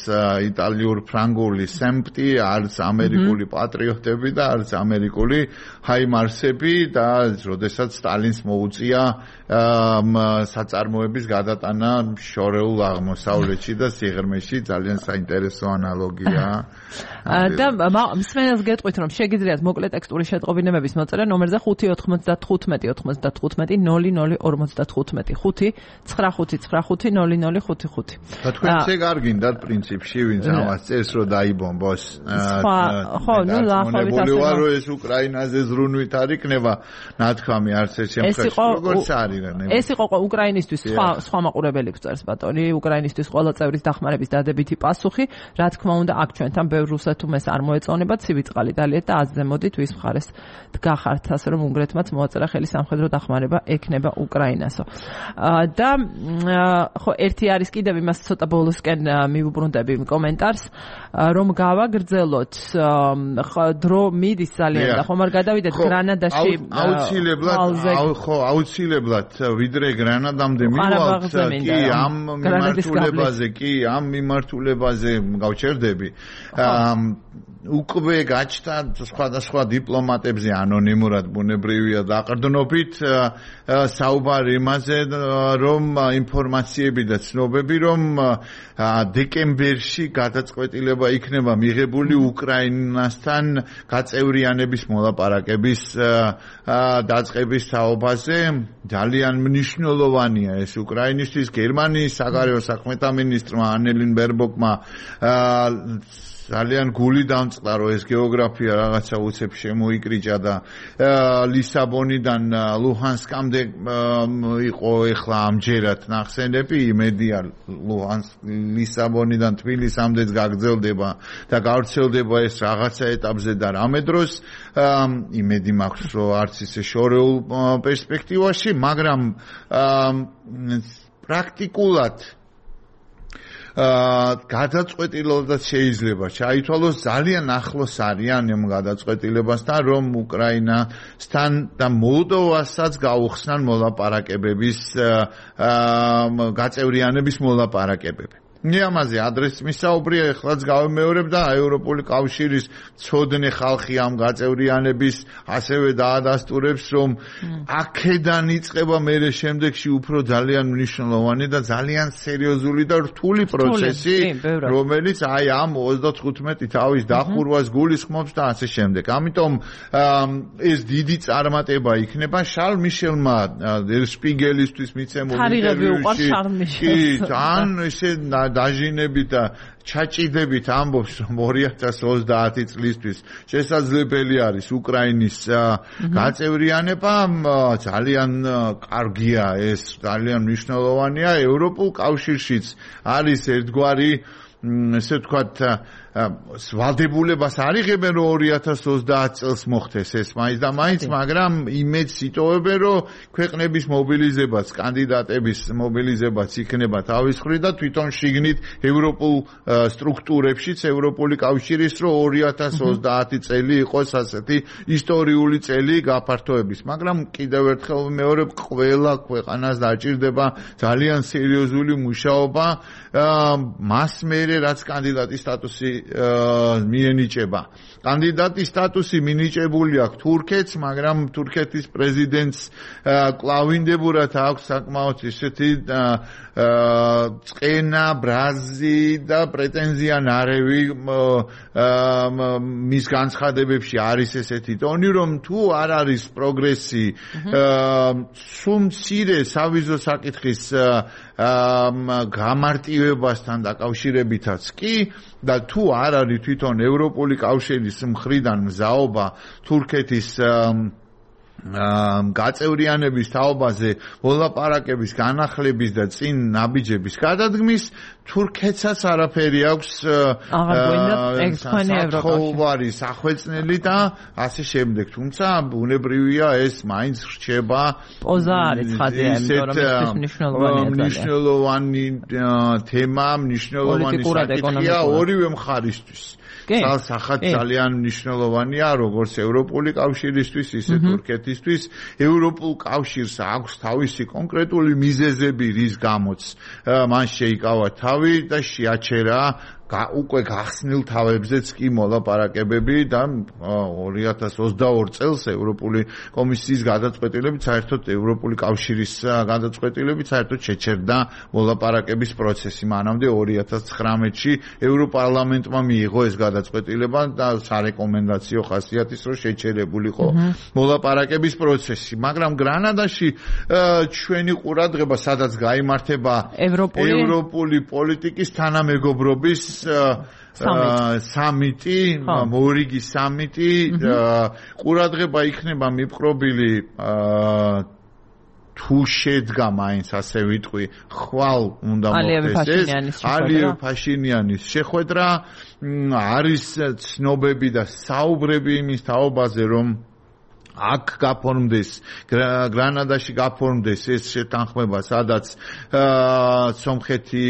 იტალიურ ფრანგული სემპტი, არც ამერიკული პატრიოტები და არც ამერიკული ჰაიმარსები და როდესაც სტალინს მოუწია საწარმოების გადატანა შორეულ აღმოსავლეთში და სიღრმეში. ძალიან საინტერესო ანალოგია. და მსმენელს გეტყვით რომ შეგიძლიათ მოკლე ტექსტური შეტყობინებების მოწერა ნომერზე ხუთი ოთხმოცდათხუთმეტი ოთხმოცდათხუთმეტი ნული ნული ორმოცდათხუთმეტი ხუთი ცხრა ხუთი ცხრა ხუთი ნული ნული ხუთი ხუთი. და თქვენც ეგ არ გინდათ პრინციპში ვინც ამას წერს რომ დაიბომბოს. ხო, ნუ დაახლოებით ასე. ვარ რომ ეს უკრაინაზე ზრუნვით არ იქნება ნათქვამი არც ერთ შემთხვევაში. როგორც არის ეს იყო უკრაინისთვის სხვა სხვა მაყურებელი გვწერს ბატონი, უკრაინისთვის ყველა წევრის დახმარების დადებითი პასუხი. რა თქმა უნდა, აქ ჩვენთან ბევრ რუსეთუმეს არ მოეწონება, ცივი წყალი დალიეთ და აზრზე მოდით ვის მხარეს დგახართ, ასე რომ უნგრეთმაც მოაწერა ხელი სამხედრო დახმარება ექნება უკრაინასო. და ხო ერთი არის კიდევ იმას ცოტა ბოლოსკენ მივუბრუნდები კომენტარს, რომ გავაგრძელოთ დრო მიდის ძალიან და ხომ არ გადავიდეთ გრანადაში აუცილებლად ხო აუცილებლად ვიდრე გრანადამდე მივალთ კი ამ მიმართულებაზე კი ამ მიმართულებაზე გავჩერდები. უკვე გაჩნდა სხვადასხვა დიპლომატებზე ანონიმურად ბუნებრივია დაყრდნობით საუბარი იმაზე, რომ ინფორმაციები და ცნობები, რომ დეკემბერში გადაწყვეტილება იქნება მიღებული უკრაინასთან გაწევრიანების მოლაპარაკების დაწყების თაობაზე. ძალიან მნიშვნელოვანია ეს უკრაინისთვის. გერმანიის საგარეო საქმეთა მინისტრმა ანელინ ბერბოკმა ძალიან გული დამწყდა, რომ ეს გეოგრაფია რაღაცა უცებ შემოიკრიჭა და ლისაბონიდან ლუჰანსკამდე იყო ეხლა ამჯერად ნახსენები, იმედია ლუჰანსკ ლისაბონიდან თბილისამდეც გაგრძელდება და გავრცელდება ეს რაღაცა ეტაპზე და რამე დროს იმედი მაქვს, რომ არც ისე შორეულ პერსპექტივაში, მაგრამ პრაქტიკულად გადაწყვეტილებაც შეიძლება ჩაითვალოს ძალიან ახლოს არიან ამ გადაწყვეტილებასთან, რომ უკრაინასთან და მოლდოვასაც გაუხსნან მოლაპარაკებების გაწევრიანების მოლაპარაკებები. ამაზე ადრესს მისაუბრია, ეხლაც გავიმეორებ და ევროპული კავშირის ცოდნე ხალხი ამ გაწევრიანების ასევე დაადასტურებს, რომ აქედან იწყება მერე შემდეგში უფრო ძალიან მნიშვნელოვანი და ძალიან სერიოზული და რთული პროცესი, რომელიც აი ამ ოცდათხუთმეტი თავის დახურვას გულისხმობს და ასე შემდეგ. ამიტომ ეს დიდი წარმატება იქნება შარლ მიშელმა დერ შპიგელისთვის მიცემულ ინტერვიუში. კი, თან ესე დაჟინებით და ჩაჭიდებით ამბობს, რომ ორი ათას ოცდაათი წლისთვის შესაძლებელი არის უკრაინის გაწევრიანება. ძალიან კარგია ეს, ძალიან მნიშვნელოვანია. ევროპულ კავშირშიც არის ერთგვარი, ესე ვთქვათ, ვალდებულებას არ იღებენ, რომ ორი ათას ოცდაათ წელს მოხდეს ეს მაინც და მაინც, მაგრამ იმედს იტოვებენ, რომ ქვეყნების მობილიზებაც, კანდიდატების მობილიზებაც იქნება თავის მხრივ და თვითონ შიგნით ევროპულ სტრუქტურებშიც, ევროპული კავშირის, რომ ორი ათას ოცდაათი წელი იყოს ასეთი ისტორიული წელი გაფართოების. მაგრამ კიდევ ერთხელ ვიმეორებ, ყველა ქვეყანას დაჭირდება ძალიან სერიოზული მუშაობა მას მერე, რაც კანდიდატის სტატუსი მიენიჭება. კანდიდატის სტატუსი მინიჭებული აქვს თურქეთს, მაგრამ თურქეთის პრეზიდენტს კლავინდებურად აქვს საკმაოდ ისეთი წყენა, ბრაზი და პრეტენზია ნარევი მის განცხადებებში არის ესეთი ტონი, რომ თუ არ არის პროგრესი სულ მცირე სავიზო საკითხის გამარტივებასთან დაკავშირებითაც კი და თუ არ არის თვითონ ევროპული კავშირის მხრიდან მზაობა თურქეთის გაწევრიანების თაობაზე მოლაპარაკების განახლების და წინ ნაბიჯების გადადგმის, თურქეთსაც არაფერი აქვს სახოვარი სახვეწნელი და ასე შემდეგ. თუმცა ბუნებრივია ეს მაინც რჩება პოზა არის ხადია, იმიტომ რომ ეს მნიშვნელოვანია. მნიშვნელოვანი თემა, მნიშვნელოვანი საკითხია ორივე მხარისთვის. სახად ძალიან მნიშვნელოვანია როგორც ევროპული კავშირისთვის, ისე თურქეთისთვის. ევროპულ კავშირს აქვს თავისი კონკრეტული მიზეზები, რის გამოც მან შეიკავა თავი და შეაჩერა უკვე გახსნილ თავებზეც კი მოლაპარაკებები და ორი ათას ოცდაორი წელს ევროპული კომისიის გადაწყვეტილებით, საერთოდ ევროპული კავშირის გადაწყვეტილებით საერთოდ შეჩერდა მოლაპარაკების პროცესი. მანამდე ორი ათას ცხრამეტში ევროპარლამენტმა მიიღო ეს გადაწყვეტილება და სარეკომენდაციო ხასიათის, რომ შეჩერებულიყო მოლაპარაკების პროცესი. მაგრამ გრანადაში ჩვენი ყურადღება სადაც გაიმართება ევროპული პოლიტიკის თანამეგობრობის სამიტი, მორიგის სამიტი, ყურადღება იქნება მიპყრობილი თუ შედგა მაინც ასე ვიტყვი, ხვალ უნდა მოხდეს ეს ალიევ ფაშინიანის შეხვედრა. არის ცნობები და საუბრები იმის თაობაზე, რომ აქ გაფორმდეს, გრანადაში გაფორმდეს ეს შეთანხმება, სადაც სომხეთი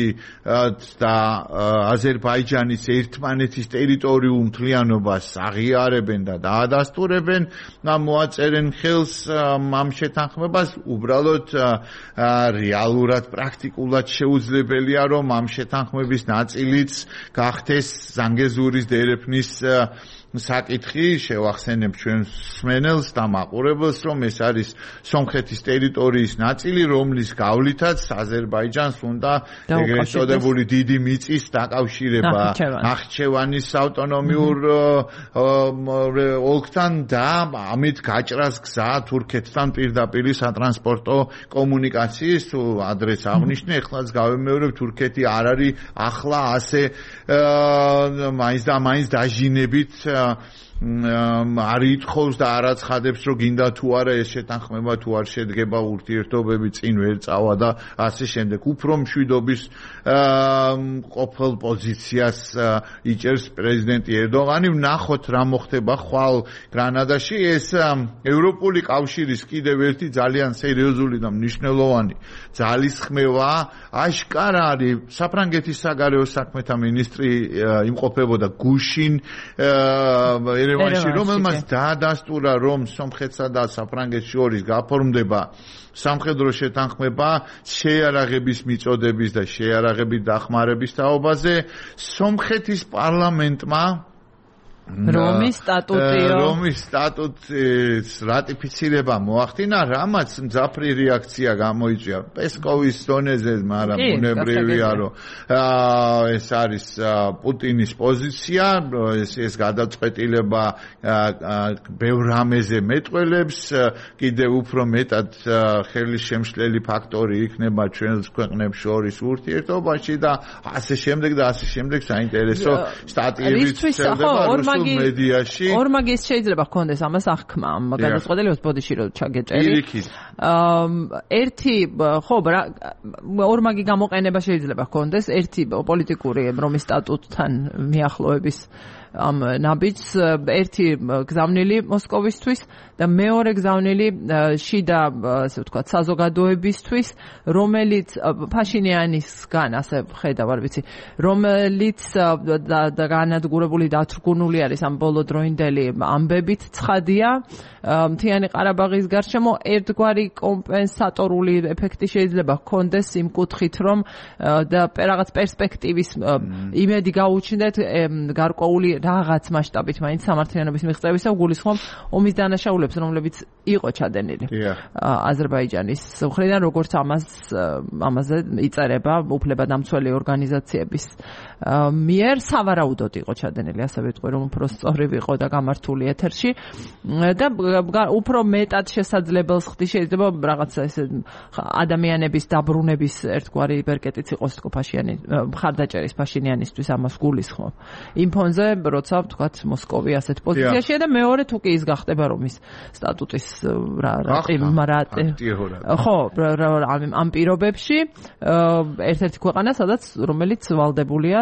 და აზერბაიჯანის ერთმანეთის ტერიტორიულ მთლიანობას აღიარებენ და დაადასტურებენ, მოაწერენ ხელს ამ შეთანხმებას. უბრალოდ რეალურად, პრაქტიკულად შეუძლებელია, რომ ამ შეთანხმების ნაწილიც გახდეს ზანგეზურის დერეფნის საკითხი. შევახსენებ ჩვენ სმენელს და მაყურებელს, რომ ეს არის სომხეთის ტერიტორიის ნაწილი, რომლის გავლითაც აზერბაიჯანს უნდა ეგრეთ წოდებული დიდი მიწის დაკავშირება ნახიჩევანის ავტონომიურ ოლქთან და ამით გაჭრას გზა თურქეთთან პირდაპირ სატრანსპორტო კომუნიკაციის. თუ ადრეს აღნიშნე, ეხლაც გავიმეორებ, თურქეთი არ არის ახლა ასე მაინც და მაინც დაჟინებით არ ითხოვს და არ აცხადებს რომ გინდა თუ არა ეს შეთანხმება თუ არ შედგება ურთიერთობები წინ ვერ წავა და ასე შემდეგ უფრო მშვიდობის ყოფილ პოზიციას იჭერს პრეზიდენტი ერდოღანი ვნახოთ რა მოხდება ხვალ გრანადაში ეს ევროპული კავშირის კიდევ ერთი ძალიან სერიოზული და მნიშვნელოვანი ძალისხმევა აშკარა არის საფრანგეთის საგარეო საქმეთა მინისტრი იმყოფებოდა გუშინ ერევანში რომელმაც დაადასტურა რომ სომხეთსა და საფრანგეთს შორის გაფორმდება სამხედრო შეთანხმება შეიარაღების მიწოდების და შეიარაღებით დახმარების თაობაზე სომხეთის პარლამენტმა რომის სტატუტიო რომის სტატუტის რატიფიცირება მოახდინა, რამაც მძაფრი რეაქცია გამოიწვია პესკოვის დონეზე, მაგრამ ბუნებრივია, რომ ეს არის პუტინის პოზიცია, ეს ეს გადაწყვეტილება ბევრ რამეზე მეტყველებს, კიდევ უფრო მეტად ხელისშემშლელი ფაქტორი იქნება ჩვენს ქვეყნებს შორის ურთიერთობაში და ასე შემდეგ და ასე შემდეგ საინტერესო სტატიებიც შედება მედიაში ორმაგის შეიძლება ჰქონდეს ამას აღქმა ამ გადაწყვეტილებას ბოდიში რომ ჩაგეჭერი ერთი ხო ორმაგი გამოყენება შეიძლება ჰქონდეს ერთი პოლიტიკური რომის სტატუტთან მიახლოების ამ ნაბიჯს ერთი გზავნილი მოსკოვისთვის და მეორე გზავნილი შიდა ასე ვთქვათ საზოგადოებისთვის რომელიც ფაშინიანისგან ასე ხედავ არ ვიცი რომელიც და განადგურებული დათრგუნული არის ამ ბოლოდროინდელი ამბებით ცხადია მთიანი ყარაბაღის გარშემო ერთგვარი კომპენსატორული ეფექტი შეიძლება ჰქონდეს იმ კუთხით რომ და რაღაც პერსპექტივის იმედი გაუჩნდეთ გარკვეული რაღაც მასშტაბით მაინც სამართლიანობის მიღწევისა გულისხმობ ომის დანაშაულებს რომლებიც იყო ჩადენილი აზერბაიჯანის მხრიდან როგორც ამას ამაზე იწერება უფლებადამცველი ორგანიზაციების მიერ სავარაუდოდ იყო ჩადენილი ასევე ვიტყვი რომ უფრო სწორი ვიყო და გამართული ეთერში და უფრო მეტად შესაძლებელს ხდი შეიძლება რაღაცა ესე ადამიანების დაბრუნების ერთგვარი ბერკეტიც იყოს თქო ფაშიანი მხარდაჭერის ფაშინიანისთვის ამას გულისხმობ იმ ფონზე როცა ვთქვათ მოსკოვი ასეთ პოზიციაშია და მეორე თუ კი ის გახდება რომ ის სტატუტის რა რა ხო ამ პირობებში ერთ-ერთი ქვეყანა სადაც რომელიც ვალდებულია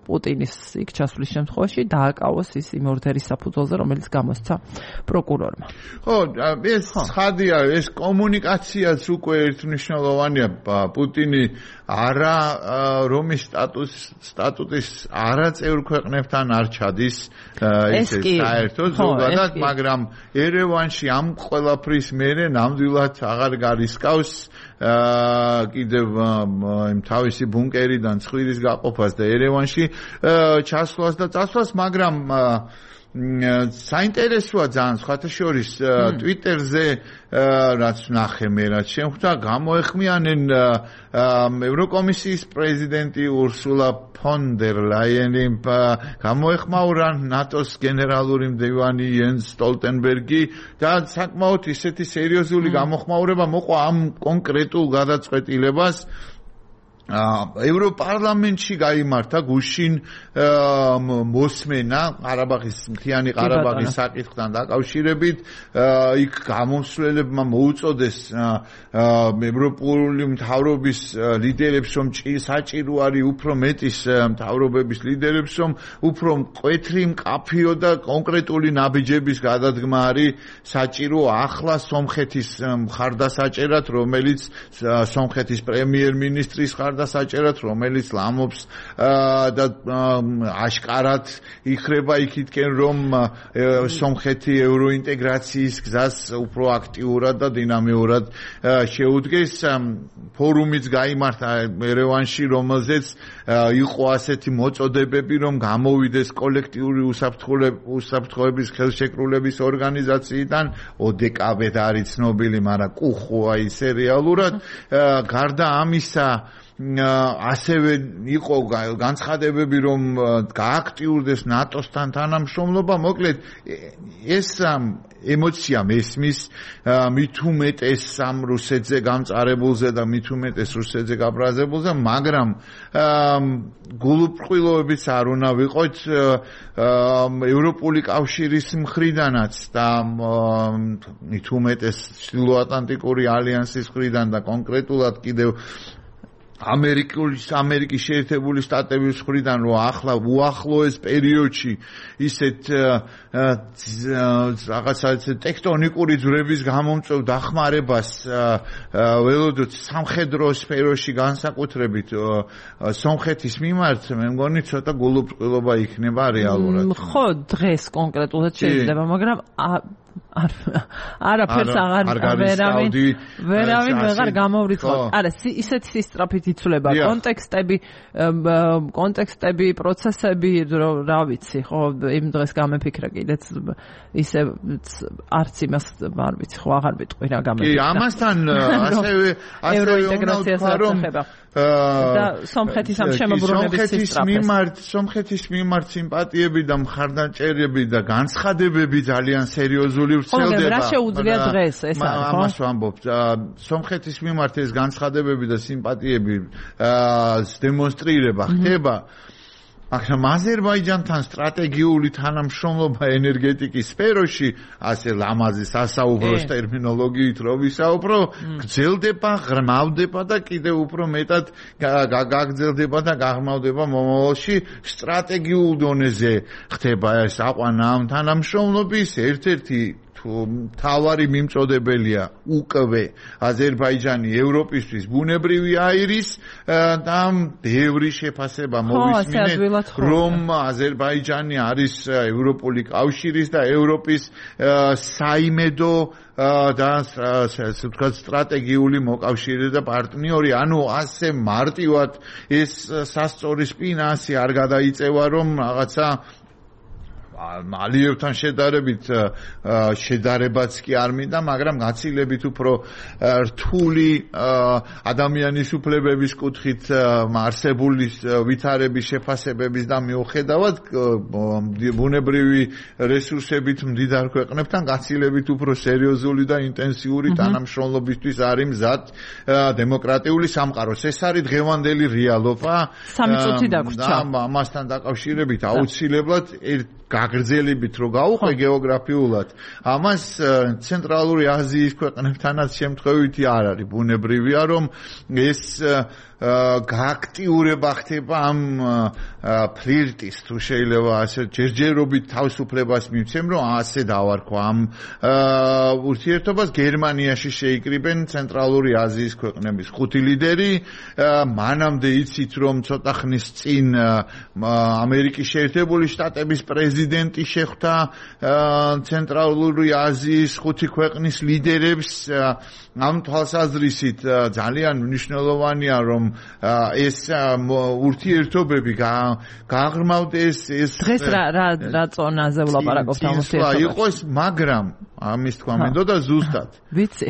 პუტინის იქ ჩასვლის შემთხვევაში დააკავოს ის იმ ორდერის საფუძველზე რომელიც გამოსცა პროკურორმა ხო ეს ცხადია ეს კომუნიკაციაც უკვე ერთმნიშვნელოვანია პუტინი არა რომის სტატუს სტატუტის არაწევრ ქვეყნებთან არ ჩადის ისე საერთოდ ზოგადად მაგრამ ერევანში ამ ყველაფრის მერე ნამდვილად აღარ გარისკავს კიდევ იმ თავისი ბუნკერიდან ცხვირის გაყოფას და ერევანში ჩასვლას და წასვლას მაგრამ საინტერესოა ძალიან სხვათა შორის ტვიტერზე რაც ნახე მე რაც შემხვდა გამოეხმიანენ ევროკომისიის პრეზიდენტი ურსულა ფონ დერ ლაიენი გამოეხმაურა ნატოს გენერალური მდივანი იენს სტოლტენბერგი და საკმაოდ ისეთი სერიოზული გამოხმაურება მოყვა ამ კონკრეტულ გადაწყვეტილებას ევროპარლამენტში გაიმართა გუშინ მოსმენა ყარაბაღის მთიანი ყარაბაღის საკითხთან დაკავშირებით იქ გამოსვლებმა მოუწოდეს ევროპული მთავრობის ლიდერებს რომ საჭირო არის უფრო მეტის მთავრობების ლიდერებს რომ უფრო მკვეთრი მკაფიო და კონკრეტული ნაბიჯების გადადგმა არის საჭირო ახლა სომხეთის მხარდასაჭერად რომელიც სომხეთის პრემიერ-მინისტრის და საჭერად რომელიც ლამობს და აშკარად იხრება იქითკენ რომ სომხეთი ევროინტეგრაციის გზას უფრო აქტიურად და დინამიურად შეუდგეს ფორუმიც გაიმართა ერევანში რომელზეც იყო ასეთი მოწოდებები რომ გამოვიდეს კოლექტიური უსაფრთხოების ხელშეკრულების ორგანიზაციიდან ოდეკავედ არის ცნობილი მაგრამ კუხოა ის რეალურად გარდა ამისა ასევე იყო განცხადებები, რომ გააქტიურდეს ნატოსთან თანამშრომლობა, მოკლედ ეს ემოცია მესმის მით უმეტეს ამ რუსეთზე გამწარებულზე და მით უმეტეს რუსეთზე გაბრაზებულზე, მაგრამ გულუბრყვილობებიც არ უნდა ვიყოთ ევროპული კავშირის მხრიდანაც და მით უმეტეს ჩრდილოატლანტიკური ალიანსის მხრიდან და კონკრეტულად კიდევ ამერიკის ამერიკის შეერთებული შტატების მხრიდან, რომ ახლა უახლოეს პერიოდში ისეთ რაღაცა ტექტონიკური ძვრების გამომწვევ დახმარებას ველოდოთ სამხედრო სფეროში, განსაკუთრებით სომხეთის მიმართ, მე მგონი ცოტა გულუბრყვილობა იქნება რეალურად. ხო, დღეს კონკრეტულად შეიძლება, მაგრამ არ არაფერს აღარ ვერავინ ვერავინ ვეღარ გამოვრიცხავ. არა, ისეთი სისტრაფით იცვლება კონტექსტები, კონტექსტები, პროცესები, რა ვიცი, ხო, იმ დღეს გამეფიქრა კიდეც ისე არც იმას არ ვიცი, ხო, აღარ ვიტყვი რა გამეფიქრა. კი, ამასთან ასევე ასევე ევროინტეგრაციას ეხება. და სომხეთის ამ შემოbrunების სისტრაფეს. სომხეთის მიმართ სიმპათიები და მხარდაჭერები და განცხადებები ძალიან სერიოზული ვრცელდება. ხო, რა შეუძლია დღეს ეს არის, ხო? ამას ვამბობ. სომხეთის მიმართ ეს განცხადებები და სიმპათიები დემონსტრირება ხდება. მაგრამ აზერბაიჯანთან სტრატეგიული თანამშრომლობა ენერგეტიკის სფეროში, ასე ლამაზი სასაუბრო ტერმინოლოგიით რო ვისაუბრო, გრძელდება, ღრმავდება და კიდევ უფრო მეტად გაგრძელდება და გაღრმავდება მომავალში. სტრატეგიულ დონეზე ხდება ეს აყვანა ამ თანამშრომლობის ერთ-ერთი მთავარი მიმწოდებელია უკვე აზერბაიჯანი ევროპისთვის ბუნებრივი აირის და ბევრი შეფასება მოვისმინეთ, რომ აზერბაიჯანი არის ევროპული კავშირის და ევროპის საიმედო და ასე ვთქვათ სტრატეგიული მოკავშირე და პარტნიორი, ანუ ასე მარტივად ეს სასწორი სპინასი არ გადაიწევა, რომ რაღაცა ალიევთან შედარებით შედარებაც კი არ მინდა, მაგრამ გაცილებით უფრო რთული ადამიანის უფლებების კუთხით არსებული ვითარების შეფასებების და მიუხედავად ბუნებრივი რესურსებით მდიდარ ქვეყნებთან გაცილებით უფრო სერიოზული და ინტენსიური თანამშრომლობისთვის არის მზად დემოკრატიული სამყაროს. ეს არის დღევანდელი რეალობა. სამი წუთი დაგვრჩა. და ამასთან დაკავშირებით აუცილებლად გაგრძელებით რო გაუყვე გეოგრაფიულად, ამას ცენტრალური აზიის ქვეყნებთანაც შემთხვევითი არ არის. ბუნებრივია, რომ ეს გააქტიურება ხდება ამ ფლირტის, თუ შეიძლება ასე ჯერჯერობით თავისუფლებას მივცემ, რომ ასე დავარქვა ამ ურთიერთობას. გერმანიაში შეიკრიბენ ცენტრალური აზიის ქვეყნების ხუთი ლიდერი. მანამდე იცით, რომ ცოტა ხნის წინ ამერიკის შეერთებული შტატების პრეზიდენტი შეხვდა ცენტრალური აზიის ხუთი ქვეყნის ლიდერებს. ამ თვალსაზრისით ძალიან მნიშვნელოვანია, რომ ეს ურთიერთობები გააღრმავდეს. ეს დღეს რა რა რა წონაზე ვლაპარაკობთ ამ ურთიერთობებში? იყოს, მაგრამ ამის თქვა მინდოდა ზუსტად. ვიცი.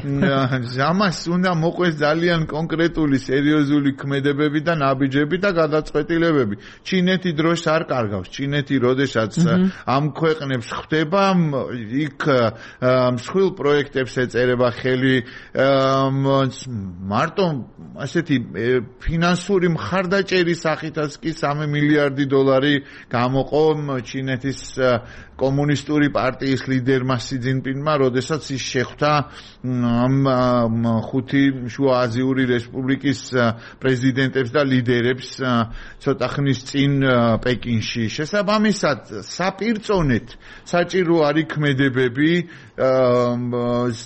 ამას უნდა მოყვეს ძალიან კონკრეტული სერიოზული ქმედებები და ნაბიჯები და გადაწყვეტილებები. ჩინეთი დროს არ კარგავს. ჩინეთი როდესაც ამ ქვეყნებს ხვდება, იქ მსხვილ პროექტებს ეწერება ხელი, მარტო ასეთი ფინანსური მხარდაჭერის სახითაც კი სამი მილიარდი დოლარი გამოყო ჩინეთის კომუნისტური პარტიის ლიდერმა სი ძინპინმა, როდესაც ის შეხვდა ამ ხუთი შუა აზიური რესპუბლიკის პრეზიდენტებს და ლიდერებს ცოტა ხნის წინ პეკინში. შესაბამისად, საპირწონეთ საჭირო არის ქმედებები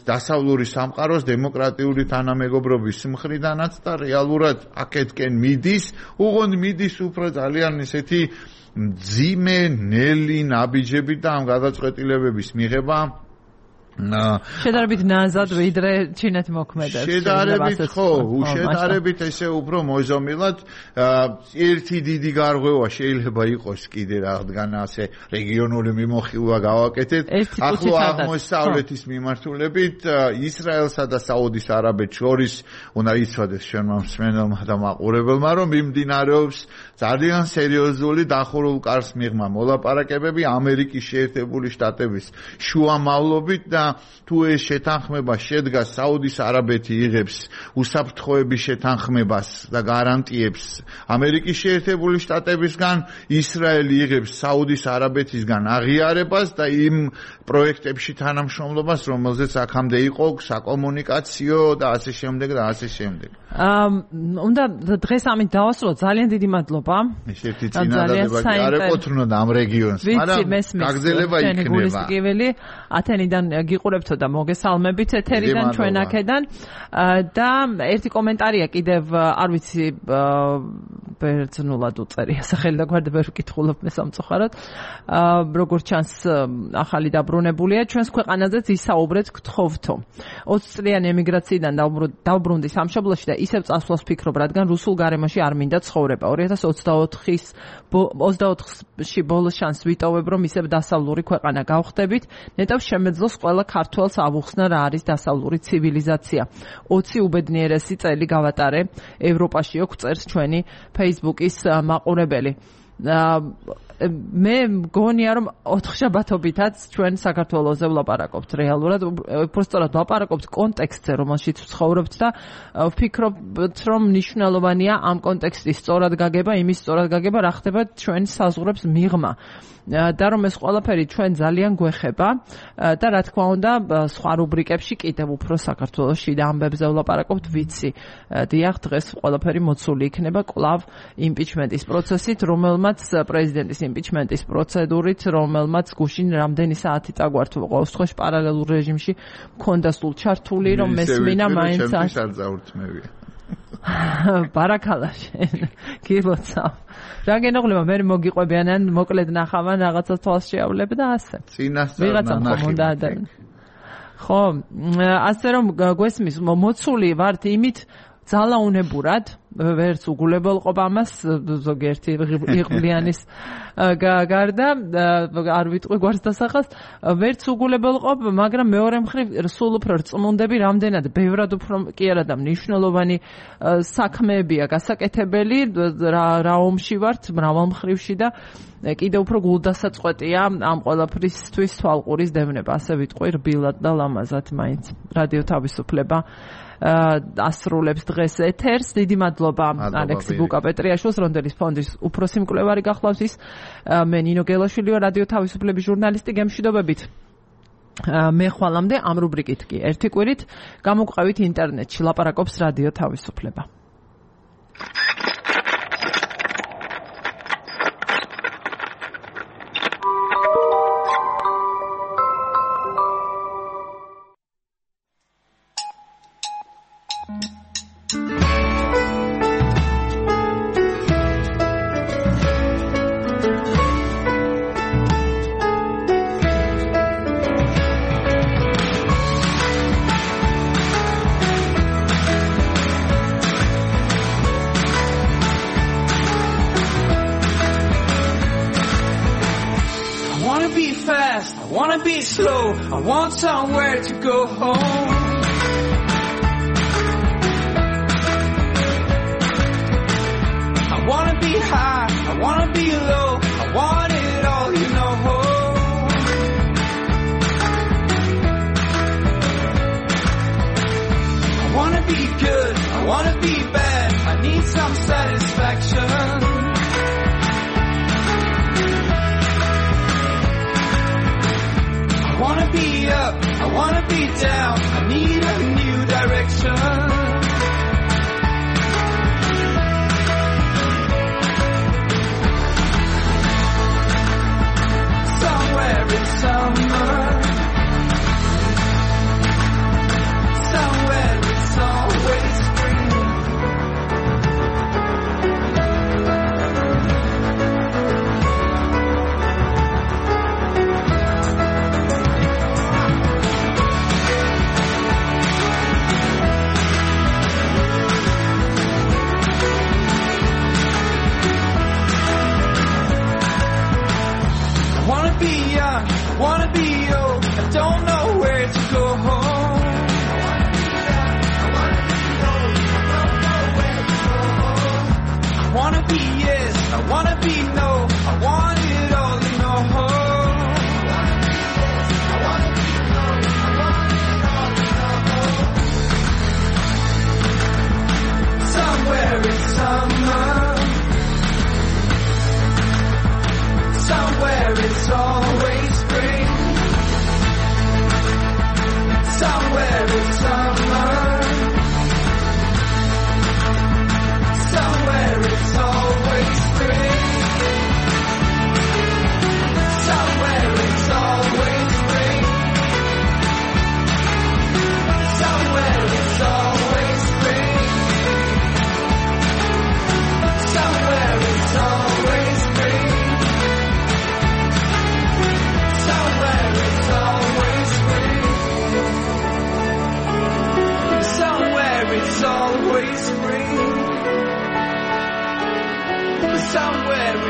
დასავლური სამყაროს დემოკრატიული თანამეგობრობის მხრიდანაც და რეალურად აქეთკენ მიდის, უღონდ მიდის უფრო ძალიან ისეთი მძიმე ნელი ნაბიჯები და ამ გადაწყვეტილებების მიღება შედარებით ნაზად ვიდრე ჩინეთი მოქმედებს. შედარებით ხო, უშედარებით ესე უფრო მოზომილად ერთი დიდი გარღვევა შეიძლება იყოს კიდე რადგან ასე რეგიონული მიმოხილვა გავაკეთეთ. ახლო აღმოსავლეთის მიმართულებით ისრაელსა და საუდის არაბეთს შორის უნდა იცოდეს ჩვენმა მსმენელმა და მაყურებელმა, რომ მიმდინარეობს ძალიან სერიოზული დახურულ კარს მიღმა მოლაპარაკებები ამერიკის შეერთებული შტატების შუამავლობით და თუ ეს შეთანხმება შედგას საუდის არაბეთი იღებს უსაფრთხოების შეთანხმებას და გარანტიებს ამერიკის შეერთებული შტატებისგან ისრაელი იღებს საუდის არაბეთისგან აღიარებას და იმ პროექტებში თანამშრომლობას რომელზეც აქამდე იყო საკომუნიკაციო და ასე შემდეგ და ასე შემდეგ. უნდა დღეს ამით დავასრულოთ. ძალიან დიდი მადლობა. ეს ერთი წინადადება კი არ ეკუთვნოდა ამ რეგიონს, მაგრამ გაგზელება იქნება. ათენიდან გიყურებთ და მოგესალმებით ეთერიდან ჩვენ აქედან და ერთი კომენტარია კიდევ არ ვიცი ბერძნულად უწერია სახელი და გვერდები ვერ ვკითხულობ მე სამწუხაროდ. როგორც ჩანს ახალი დაბრუნებულია ჩვენს ქვეყანაზეც ისაუბრეთ გთხოვთო. ოცი წლიანი ემიგრაციიდან დავბრუნდი სამშობლოში და ისევ წასვლას ფიქრობ, რადგან რუსულ გარემოში არ მინდა ცხოვრება. ორი ათას ოცდაოთხის ოცდაოთხში ბოლოს შანს ვიტოვებ, რომ ისევ დასავლური ქვეყანა გავხდებით. ნეტავს შემეძლოს ყველა ქართველს ავუხსნა რა არის დასავლური ცივილიზაცია. ოცი უბედნიერესი წელი გავატარე ევროპაში, ოქ წერს ჩვენი Facebook-ის მაყურებელი. მე მგონია რომ ოთხშაბათობითაც ჩვენ საქართველოზე ვლაპარაკობთ რეალურად, უბრალოდ ვლაპარაკობთ კონტექსტზე, რომელშიც ვცხოვრობთ და ვფიქრობთ რომ მნიშვნელოვანია ამ კონტექსტის სწორად გაგება, იმის სწორად გაგება, რა ხდება ჩვენ საზღვრებს მიღმა. და რომ ეს ყველაფერი ჩვენ ძალიან გვეხება და რა თქმა უნდა სხვა რუბრიკებში კიდევ უფრო საქართველოში და ამბებზე ვლაპარაკობთ, ვიცი. დიახ, დღეს ყველაფერი მოცული იქნება კვლავ იმპიჩმენტის პროცესით, რომელმაც პრეზიდენტის იმპიჩმენტის პროცედურით, რომელმაც გუშინ რამდენი საათი წაგვართ ყოველ შემთხვევაში პარალელურ რეჟიმში მქონდა სულ ჩართული, რომ მესმინა მაინც არ წავრთმევია. ბარაკალა შენ გილოცავ. რა გენოღლება მე მოგიყვებიან ან მოკლედ ნახავან რაღაცა თვალს შეავლებ და ასე. წინასწარ ნახე. ხო, ასე რომ გვესმის მოცული ვართ იმით ძალაუნებურად, ვერც უგულებელყოფ ამას ზოგიერთი იღბლიანის გარდა არ ვიტყვი გვარს დასახას, ვერც უგულებელყოფ, მაგრამ მეორე მხრივ სულ უფრო რწმუნდები, რამდენად ბევრად უფრო კი არა და მნიშვნელოვანი საქმეებია გასაკეთებელი, რა ომში ვართ მრავალ მხრივში და კიდევ უფრო გულდასაწყვეტია ამ ყველაფრისთვის თვალყურის დევნება, ასე ვიტყვი რბილად და ლამაზად მაინც რადიო თავისუფლება ასრულებს დღეს ეთერს. დიდი მადლობა ალექსი ბუკა-პეტრიაშვილს, რონდელის ფონდის უფროსი მკვლევარი გახლავს ის. მე ნინო გელაშვილი ვარ, რადიო თავისუფლების ჟურნალისტი. გემშვიდობებით. მე ხვალამდე ამ რუბრიკით კი ერთი კვირით გამოგყევით ინტერნეტში ლაპარაკობს რადიო თავისუფლება. I want somewhere to go home. I wanna be high, I wanna be low, I want it all, you know. I wanna be good, I wanna be bad, I need some satisfaction. I wanna be up, I wanna be down, I need a new direction. Somewhere in summer, somewhere it's always spring.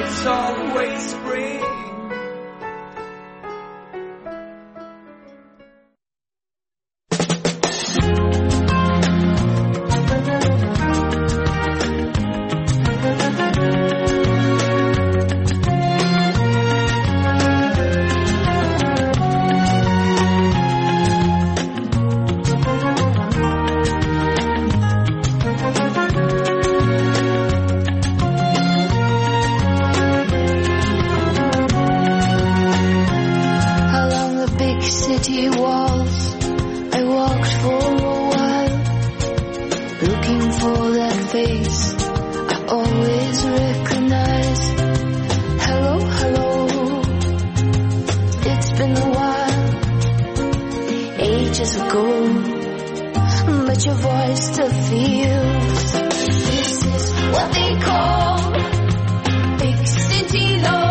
it's always spring. City walls, I walked for a while, looking for that face I always recognize. Hello, hello, it's been a while, ages ago, but your voice still feels. This is what they call big city love.